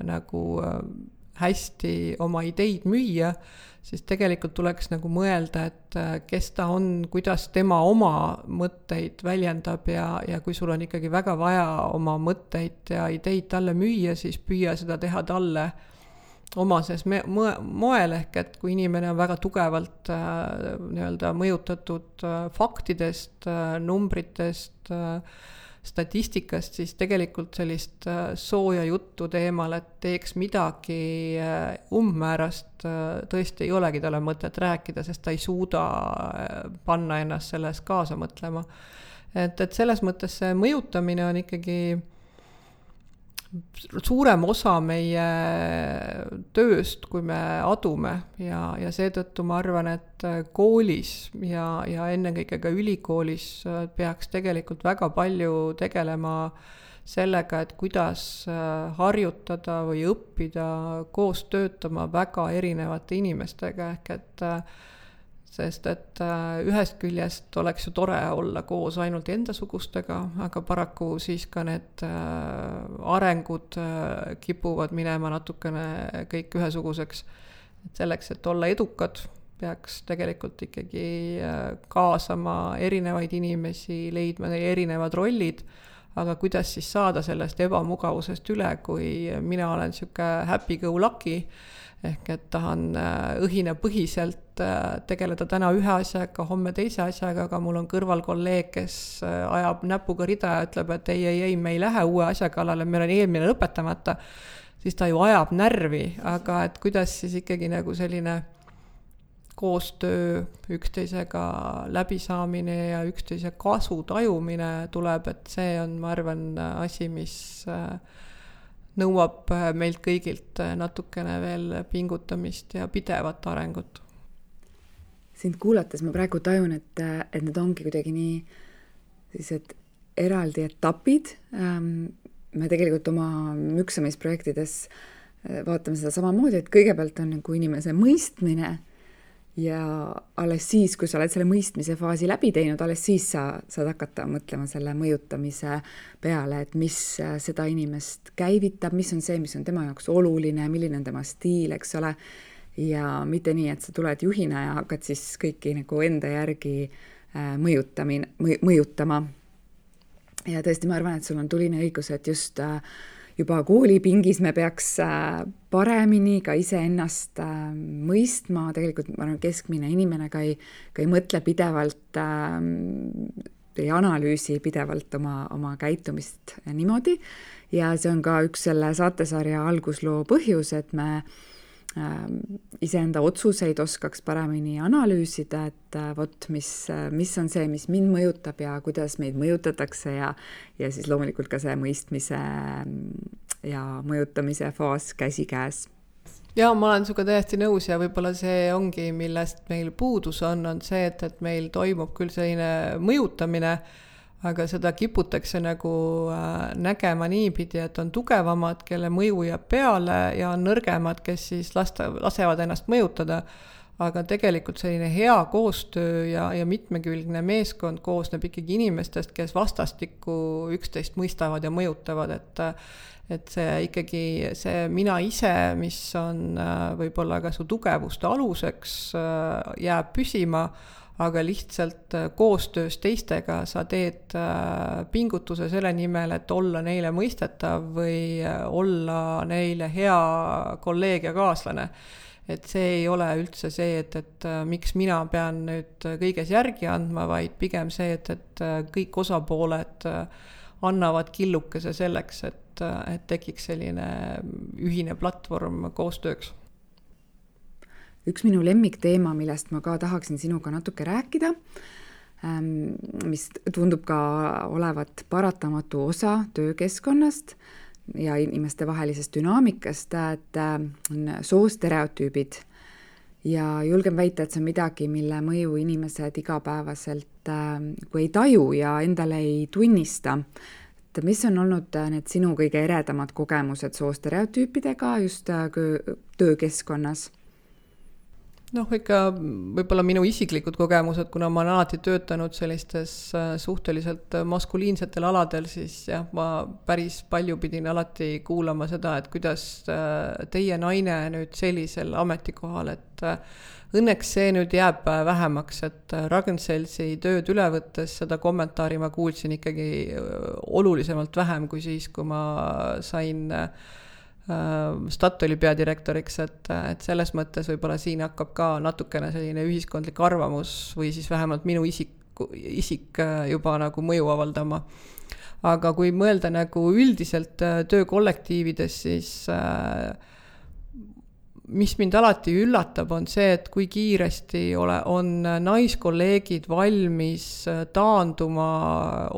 nagu hästi oma ideid müüa, siis tegelikult tuleks nagu mõelda, et kes ta on, kuidas tema oma mõtteid väljendab ja, ja kui sul on ikkagi väga vaja oma mõtteid ja ideid talle müüa, siis püüa seda teha talle omases me- moel, ehk et kui inimene on väga tugevalt äh, nii-öelda mõjutatud äh, faktidest, äh, numbritest, äh, statistikast, siis tegelikult sellist äh, sooja juttu teemal, et teeks midagi äh, umbmäärast, äh, tõesti ei olegi talle mõtet rääkida, sest ta ei suuda äh, panna ennast selles kaasa mõtlema. Et, et selles mõttes see mõjutamine on ikkagi suurem osa meie tööst, kui me adume ja, ja seetõttu ma arvan, et koolis ja, ja ennekõike ka ülikoolis peaks tegelikult väga palju tegelema sellega, et kuidas harjutada või õppida koos töötama väga erinevate inimestega, ehk et sest et ühest küljest oleks ju tore olla koos ainult endasugustega, aga paraku siis ka need arengud kipuvad minema natukene kõik ühesuguseks. Et selleks, et olla edukad, peaks tegelikult ikkagi kaasama erinevaid inimesi, leidma neile erinevad rollid, aga kuidas siis saada sellest ebamugavusest üle, kui mina olen siuke happy go lucky, ehk et tahan õhina põhiselt tegeleda täna ühe asjaga, homme teise asjaga, aga mul on kõrval kolleeg, kes ajab näpuga rida ja ütleb, et ei, ei, ei, me ei lähe uue asja kallale, meil on eelmine lõpetamata, siis ta ju ajab närvi, aga et kuidas siis ikkagi nagu selline koostöö, üksteisega läbisaamine ja üksteise kasu tajumine tuleb, et see on, ma arvan, asi, mis nõuab meilt kõigilt natukene veel pingutamist ja pidevat arengut. Sind kuulates ma praegu tajun, et, et need ongi kuidagi nii sellised eraldi etapid. Me tegelikult oma müksamisprojektides vaatame seda samamoodi, et kõigepealt on nagu inimese mõistmine ja alles siis, kui sa oled selle mõistmise faasi läbi teinud, alles siis sa saad hakata mõtlema selle mõjutamise peale, et mis seda inimest käivitab, mis on see, mis on tema jaoks oluline, milline on tema stiil, eks ole, ja mitte nii, et sa tuled juhina ja hakkad siis kõiki nagu enda järgi mõjutamine, mõjutama. Ja tõesti, ma arvan, et sul on tuline õigus, et just juba koolipingis me peaks paremini ka ise ennast mõistma. Tegelikult ma arvan, keskmine inimene ka ei, ka ei mõtle pidevalt, ei analüüsi pidevalt oma, oma käitumist niimoodi. Ja see on ka üks selle saatesarja algusloo põhjus, et me iseenda otsuseid oskaks paremini analüüsida, et vot, mis, mis on see, mis mind mõjutab ja kuidas meid mõjutatakse ja, ja siis loomulikult ka see mõistmise ja mõjutamise faas käsikäes. Ja ma olen suga täiesti nõus ja võib-olla see ongi, millest meil puudus on, on see, et, et meil toimub küll selline mõjutamine, aga seda kiputakse nagu äh, nägema niipidi, et on tugevamad, kelle mõju jääb peale ja on nõrgemad, kes siis lasta, lasevad ennast mõjutada. Aga tegelikult selline hea koostöö ja, ja mitmekülgne meeskond koosneb ikkagi inimestest, kes vastastikku üksteist mõistavad ja mõjutavad, et, et see ikkagi see mina ise, mis on äh, võib-olla ka su tugevuste aluseks, äh, jääb püsima, aga lihtsalt koostöös teistega sa teed pingutuse selle nimel, et olla neile mõistetav või olla neile hea kolleeg ja kaaslane. Et see ei ole üldse see, et, et miks mina pean nüüd kõiges järgi andma, vaid pigem see, et, et kõik osapooled annavad killukese selleks, et, et tekiks selline ühine platvorm koostööks. Üks minu lemmikteema, millest ma ka tahaksin sinuga natuke rääkida, mis tundub ka olevat paratamatu osa töökeskkonnast ja inimeste vahelisest dünaamikast, et on soostereotüübid. Ja julgen väita, et see on midagi, mille mõju inimesed igapäevaselt kui ei taju ja endale ei tunnista. Et mis on olnud need sinu kõige eredamad kogemused soostereotüüpidega just töökeskkonnas? Noh, ikka võib-olla minu isiklikud kogemused, kuna ma olen alati töötanud sellistes suhteliselt maskuliinsetel aladel, siis jah, ma päris palju pidin alati kuulama seda, et kuidas teie naine nüüd sellisel ametikohal, et õnneks see nüüd jääb vähemaks, et Ragn-Sellsi tööd üle võttes seda kommentaari ma kuulsin ikkagi olulisemalt vähem kui siis, kui ma sain Statoili peadirektoriks, et, et selles mõttes võib-olla siin hakkab ka natukene selline ühiskondlik arvamus või siis vähemalt minu isik, isik juba nagu mõju avaldama. Aga kui mõelda nagu üldiselt töökollektiivides, siis mis mind alati üllatab, on see, et kui kiiresti ole, on naiskolleegid valmis taanduma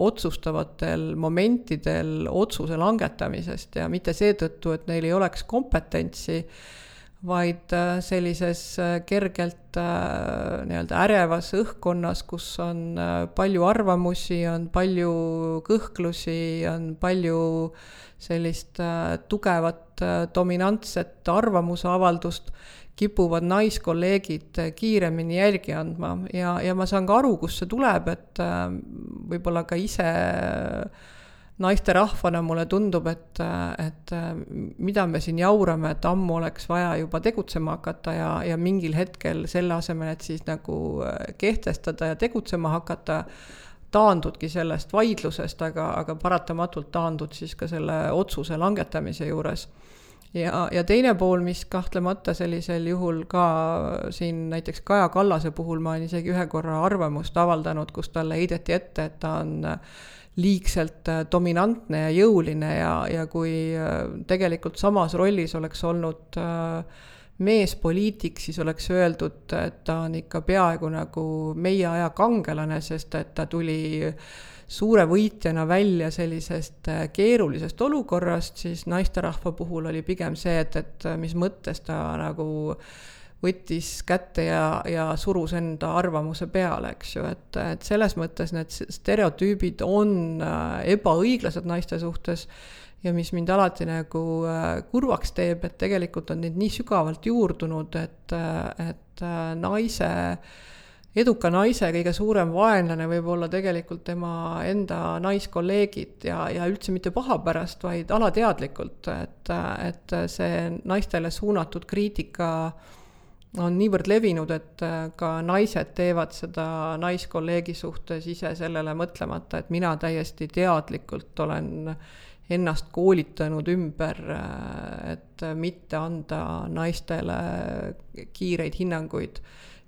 otsustavatel momentidel otsuse langetamisest ja mitte seetõttu, et neil ei oleks kompetentsi, vaid sellises kergelt nii-öelda ärevas õhkkonnas, kus on palju arvamusi, on palju kõhklusi, on palju sellist tugevat dominantset arvamusavaldust, kipuvad naiskolleegid kiiremini jälgi andma ja, ja ma saan ka aru, kus see tuleb, et võib-olla ka ise naiste rahvana mulle tundub, et, et mida me siin jaurame, et ammu oleks vaja juba tegutsema hakata ja, ja mingil hetkel selle asemel, et siis nagu kehtestada ja tegutsema hakata, taandudki sellest vaidlusest, aga, aga paratamatult taandud siis ka selle otsuse langetamise juures. Ja, ja teine pool, mis kahtlemata sellisel juhul ka siin näiteks Kaja Kallase puhul ma olen isegi ühe korra arvamust avaldanud, kus talle heideti ette, et ta on liigselt dominantne ja jõuline ja, ja kui tegelikult samas rollis oleks olnud meespoliitik, siis oleks öeldud, et ta on ikka peaaegu nagu meie aja kangelane, sest et ta tuli suure võitjana välja sellisest keerulisest olukorrast, siis naisterahva puhul oli pigem see, et, et mis mõttes ta nagu võttis kätte ja, ja surus enda arvamuse peale, eks ju, et, et selles mõttes need stereotüübid on ebaõiglased naiste suhtes ja mis mind alati nagu kurvaks teeb, et tegelikult on neid nii sügavalt juurdunud, et, et naise, eduka naise kõige suurem vaenlane võib olla tegelikult tema enda naiskolleegid ja, ja üldse mitte paha pärast, vaid alateadlikult, et, et see naistele suunatud kriitika on niivõrd levinud, et ka naised teevad seda naiskolleegi suhtes ise sellele mõtlemata, et mina täiesti teadlikult olen ennast koolitanud ümber, et mitte anda naistele kiireid hinnanguid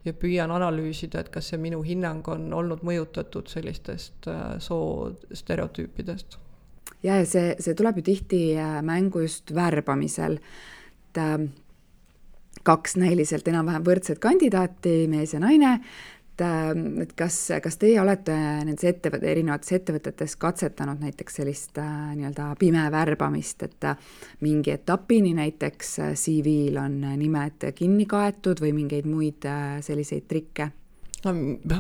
ja püüan analüüsida, et kas see minu hinnang on olnud mõjutatud sellistest soo stereotüüpidest. Ja see, see tuleb ju tihti mängu just värbamisel, et kaks näiliselt enam-vähem võrdset kandidaati, mees ja naine, et kas, kas teie olete nendes ettevõt, erinevates ettevõtetes katsetanud näiteks sellist nii-öelda pime värbamist, et mingi etapini näiteks C V-l on nimed kinni kaetud või mingeid muid selliseid trikke? No,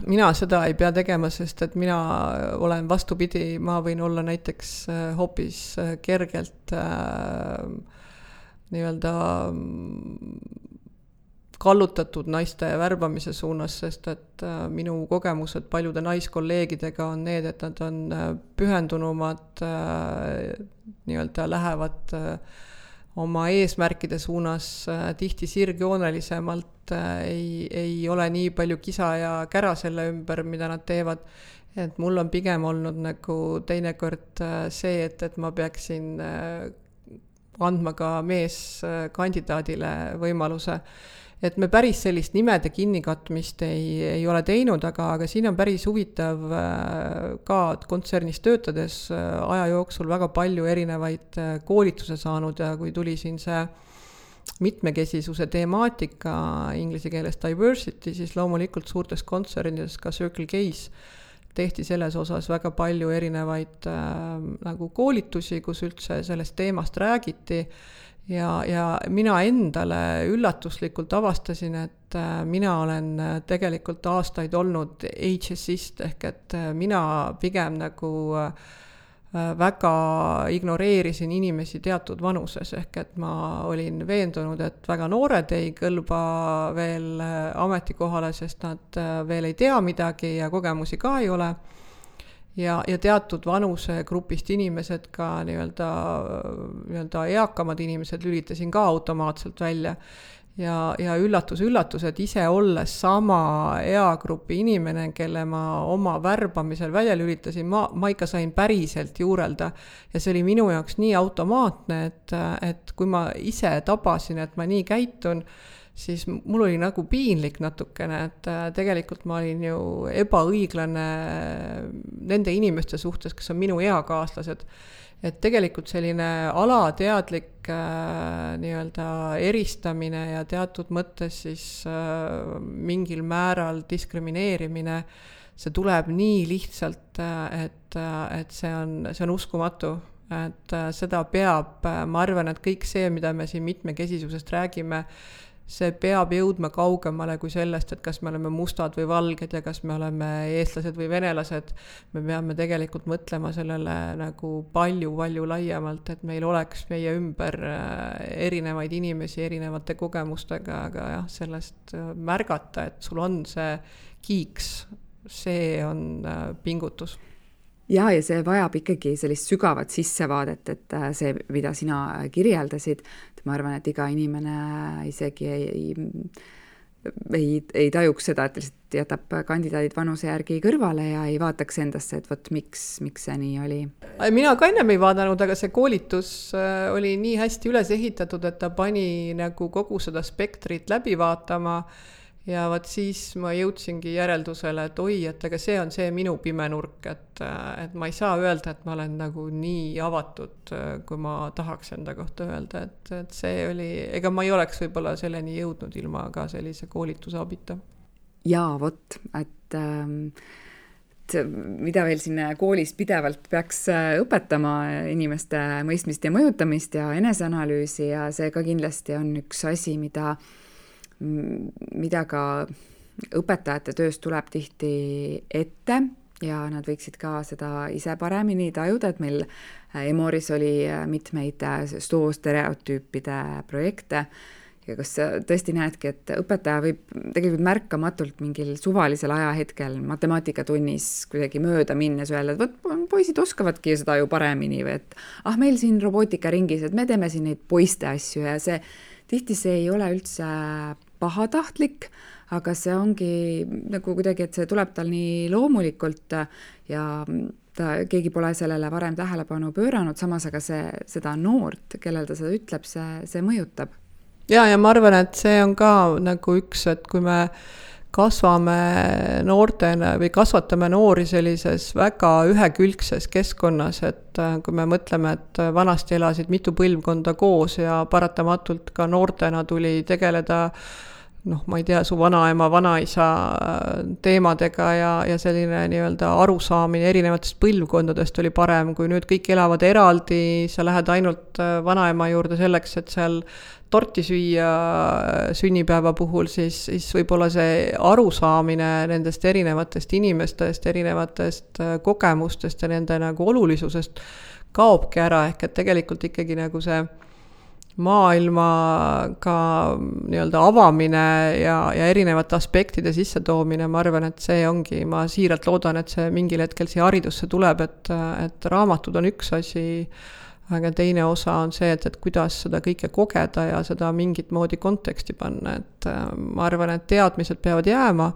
mina seda ei pea tegema, sest et mina olen vastupidi, ma võin olla näiteks hoopis kergelt äh, nii-öelda kallutatud naiste värbamise suunas, sest et minu kogemused paljude naiskolleegidega on need, et nad on pühendunumad, nii-öelda lähevad oma eesmärkide suunas tihti sirgjoonelisemalt, ei, ei ole nii palju kisa ja kära selle ümber, mida nad teevad. Et mul on pigem olnud nagu teinekord see, et, et ma peaksin andma ka meeskandidaadile võimaluse. Et me päris sellist nimede kinnikatmist ei, ei ole teinud, aga, aga siin on päris huvitav ka kontsernis töötades aja jooksul väga palju erinevaid koolituse saanud ja kui tuli siin see mitmekesisuse temaatika inglise keeles diversity, siis loomulikult suurtes kontsernides ka Circle K's tehti selles osas väga palju erinevaid äh, nagu koolitusi, kus üldse sellest teemast räägiti ja, ja mina endale üllatuslikult avastasin, et äh, mina olen tegelikult aastaid olnud ageist ehk et äh, mina pigem nagu äh, väga ignoreerisin inimesi teatud vanuses, ehk et ma olin veendunud, et väga noored ei kõlba veel ametikohale, sest nad veel ei tea midagi ja kogemusi ka ei ole. Ja, ja teatud vanusegrupist inimesed ka nii-öelda, nii-öelda eakamad inimesed lülitasin ka automaatselt välja. ja, ja üllatus, üllatus, et ise olles sama eagrupi inimene, kelle ma oma värbamisel välja lülitasin, ma, ma ikka sain päriselt juurelda. Ja see oli minu jaoks nii automaatne, et, et kui ma ise tabasin, et ma nii käitun, siis mul oli nagu piinlik natukene, et tegelikult ma olin ju ebaõiglane nende inimeste suhtes, kes on minu eakaaslased. Et tegelikult selline alateadlik äh, nii-öelda eristamine ja teatud mõttes siis äh, mingil määral diskrimineerimine, see tuleb nii lihtsalt, et, et see on, see on uskumatu. Et äh, seda peab, ma arvan, et kõik see, mida me siin mitmekesisusest räägime, see peab jõudma kaugemale kui sellest, et kas me oleme mustad või valged ja kas me oleme eestlased või venelased. Me peame tegelikult mõtlema sellele nagu palju-palju laiemalt, et meil oleks meie ümber erinevaid inimesi erinevate kogemustega, aga jah, sellest märgata, et sul on see kiiks, see on pingutus. Ja, ja see vajab ikkagi sellist sügavat sissevaadet, et see, mida sina kirjeldasid, ma arvan, et iga inimene isegi ei, ei, ei tajuks seda, et lihtsalt jätab kandidaadid vanuse järgi kõrvale ja ei vaataks endasse, et võt, miks, miks see nii oli. Mina ka ennem ei vaadanud, aga see koolitus oli nii hästi üles ehitatud, et ta pani nagu kogu seda spektrit läbi vaatama. Ja vaat siis ma jõudsingi järeldusele, et oi, et aga see on see minu pime nurk, et, et ma ei saa öelda, et ma olen nagu nii avatud, kui ma tahaks enda kohta öelda, et, et see oli, ega ma ei oleks võib-olla selleni jõudnud ilma ka sellise koolituse abita. Ja vot, et, et mida veel siin koolis pidevalt peaks õpetama inimeste mõistmist ja mõjutamist ja eneseanalüüsi ja see ka kindlasti on üks asi, mida mida ka õpetajate töös tuleb tihti ette ja nad võiksid ka seda ise paremini tajuda, et meil Emoris oli mitmeid soostereotüüpide projekte ja kas tõesti näedki, et õpetaja võib tegelikult märkamatult mingil suvalisel ajahetkel matemaatikatunnis kuidagi mööda minnes öelda, et võt, poisid oskavadki seda ju paremini või et ah, meil siin robootikaringis, et me teeme siin neid poiste asju ja see tihti see ei ole üldse pahatahtlik, aga see ongi nagu kuidagi, et see tuleb tal nii loomulikult ja ta, keegi pole sellele varem tähelepanu pööranud, samas aga see, seda noort, kellel ta seda ütleb, see, see mõjutab. Ja, ja ma arvan, et see on ka nagu üks, et kui me kasvame noortena või kasvatame noori sellises väga ühekülgses keskkonnas, et kui me mõtleme, et vanasti elasid mitu põlvkonda koos ja paratamatult ka noortena tuli tegeleda noh, ma ei tea, su vanaema, vanaisa teemadega ja, ja selline nii-öelda arusaamine erinevatest põlvkondadest oli parem, kui nüüd kõik elavad eraldi, sa lähed ainult vanaema juurde selleks, et seal torti süüa sünnipäeva puhul, siis, siis võib-olla see arusaamine nendest erinevatest inimestest, erinevatest kogemustest ja nende nagu olulisusest kaobki ära, ehk et tegelikult ikkagi nagu see maailmaga nii-öelda avamine ja, ja erinevate aspektide sisse toomine, ma arvan, et see ongi, ma siiralt loodan, et see mingil hetkel siia haridusse tuleb, et, et raamatud on üks asi, aga teine osa on see, et, et kuidas seda kõike kogeda ja seda mingit moodi konteksti panna, et ma arvan, et teadmised peavad jääma,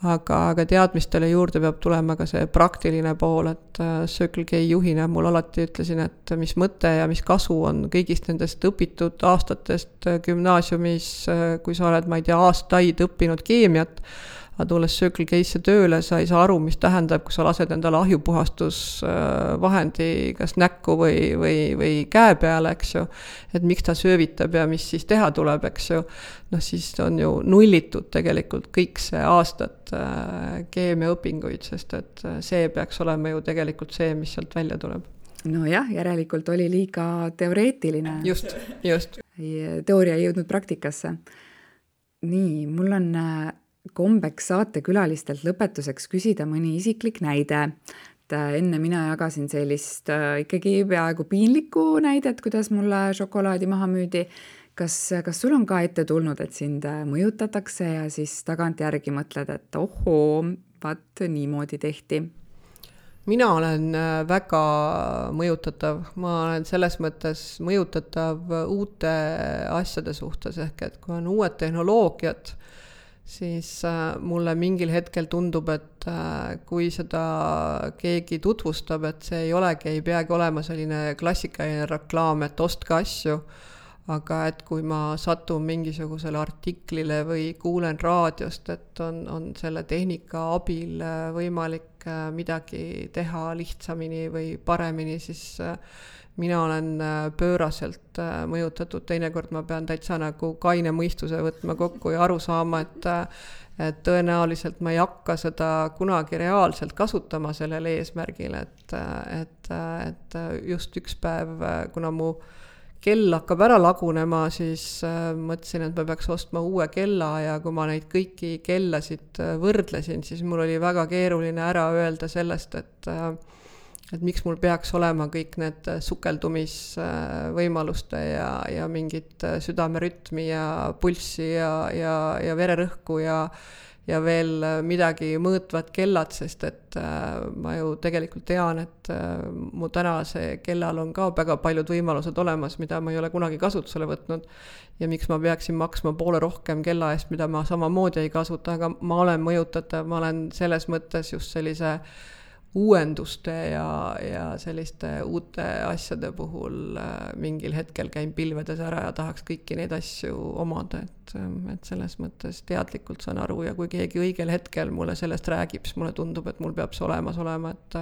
aga, aga teadmistele juurde peab tulema ka see praktiline pool, et Circle K juhina mul alati ütlesin, et mis mõte ja mis kasu on kõigist nendest õpitud aastatest gümnaasiumis, kui sa oled, ma ei tea, aastaid õppinud keemiat, aga tulles Circle K-sse tööle, sa ei saa aru, mis tähendab, kui sa lased endale ahjupuhastusvahendi kas näkku või, või, või käe peale, eks ju, et miks ta söövitab ja mis siis teha tuleb, eks ju, noh siis on ju nullitud tegelikult kõik see aastat keemiaõpinguid, sest et see peaks olema ju tegelikult see, mis sealt välja tuleb. No jah, järelikult oli liiga teoreetiline. Just, just. Teooria ei jõudnud praktikasse. Nii, mul on kombeks saatekülalistelt lõpetuseks küsida mõni isiklik näide. Et enne mina jagasin sellist ikkagi peaaegu piinlikku näidet, kuidas mulle šokolaadi maha müüdi. Kas, kas sul on ka ette tulnud, et sind mõjutatakse ja siis tagant järgi mõtled, et ohoo, vaat niimoodi tehti? mina olen väga mõjutatav, ma olen selles mõttes mõjutatav uute asjade suhtes, ehk et kui on uued tehnoloogiad, siis mulle mingil hetkel tundub, et kui seda keegi tutvustab, et see ei olegi, ei peagi olema selline klassikaline reklaam, et ostke asju, aga et kui ma satun mingisugusele artiklile või kuulen raadiost, et on, on selle tehnika abil võimalik midagi teha lihtsamini või paremini, siis mina olen pööraselt mõjutatud, teinekord ma pean täitsa nagu kaine mõistuse võtma kokku ja aru saama, et, et tõenäoliselt ma ei hakka seda kunagi reaalselt kasutama sellel eesmärgil, et, et, et just üks päev, kuna mu kell hakkab ära lagunema, siis mõtlesin, et ma peaks ostma uue kella ja kui ma neid kõiki kellasid võrdlesin, siis mul oli väga keeruline ära öelda sellest, et et miks mul peaks olema kõik need sukeldumisvõimaluste ja, ja mingit südamerütmi ja pulssi ja, ja, ja vererõhku ja, ja veel midagi mõõtvad kellad, sest et ma ju tegelikult tean, et mu tänase kellal on ka väga paljud võimalused olemas, mida ma ei ole kunagi kasutusele võtnud ja miks ma peaksin maksma poole rohkem kella eest, mida ma samamoodi ei kasuta, aga ma olen mõjutatav, ma olen selles mõttes just sellise uuenduste ja, ja selliste uute asjade puhul mingil hetkel käin pilvedes ära ja tahaks kõiki neid asju omada, et, et selles mõttes teadlikult saan aru ja kui keegi õigel hetkel mulle sellest räägib, siis mulle tundub, et mul peab see olemas olema, et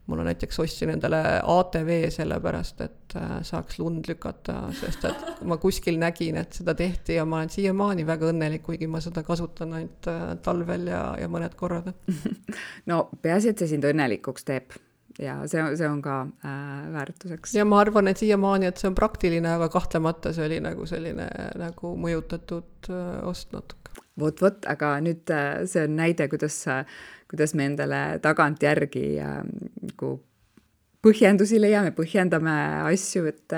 mul on näiteks ostsin endale A T V sellepärast, et saaks lund lükata, sest et ma kuskil nägin, et seda tehti ja ma olen siiamaani väga õnnelik, kuigi ma seda kasutan ainult talvel ja, ja mõned korrad. No peaasi, et see sind õnnelikuks teeb ja see, see on ka äh, väärtuseks. Ja ma arvan, et siiamaani, et see on praktiline, aga kahtlemata see oli nagu selline nagu mõjutatud äh, ost natuke. Vot, vot, aga nüüd äh, see on näide, kuidas äh, kuidas me endale tagantjärgi äh, põhjendusi leiame, põhjendame asju, et,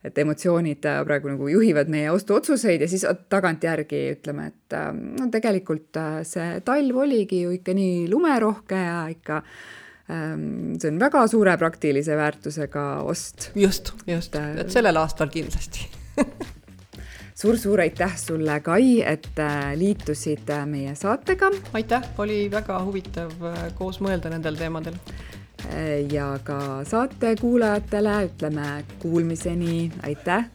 et emotsioonid praegu nagu juhivad meie ostuotsuseid ja siis tagantjärgi ütleme, et äh, no tegelikult äh, see talv oligi ju ikka nii lumerohke ja ikka äh, see on väga suure praktilise väärtusega ost. Just, just, et, et sellel aastal kindlasti. Suur-suur aitäh sulle, Kai, et liitusid meie saatega. Aitäh, oli väga huvitav koos mõelda nendel teemadel. Ja ka saate kuulajatele ütleme kuulmiseni, aitäh!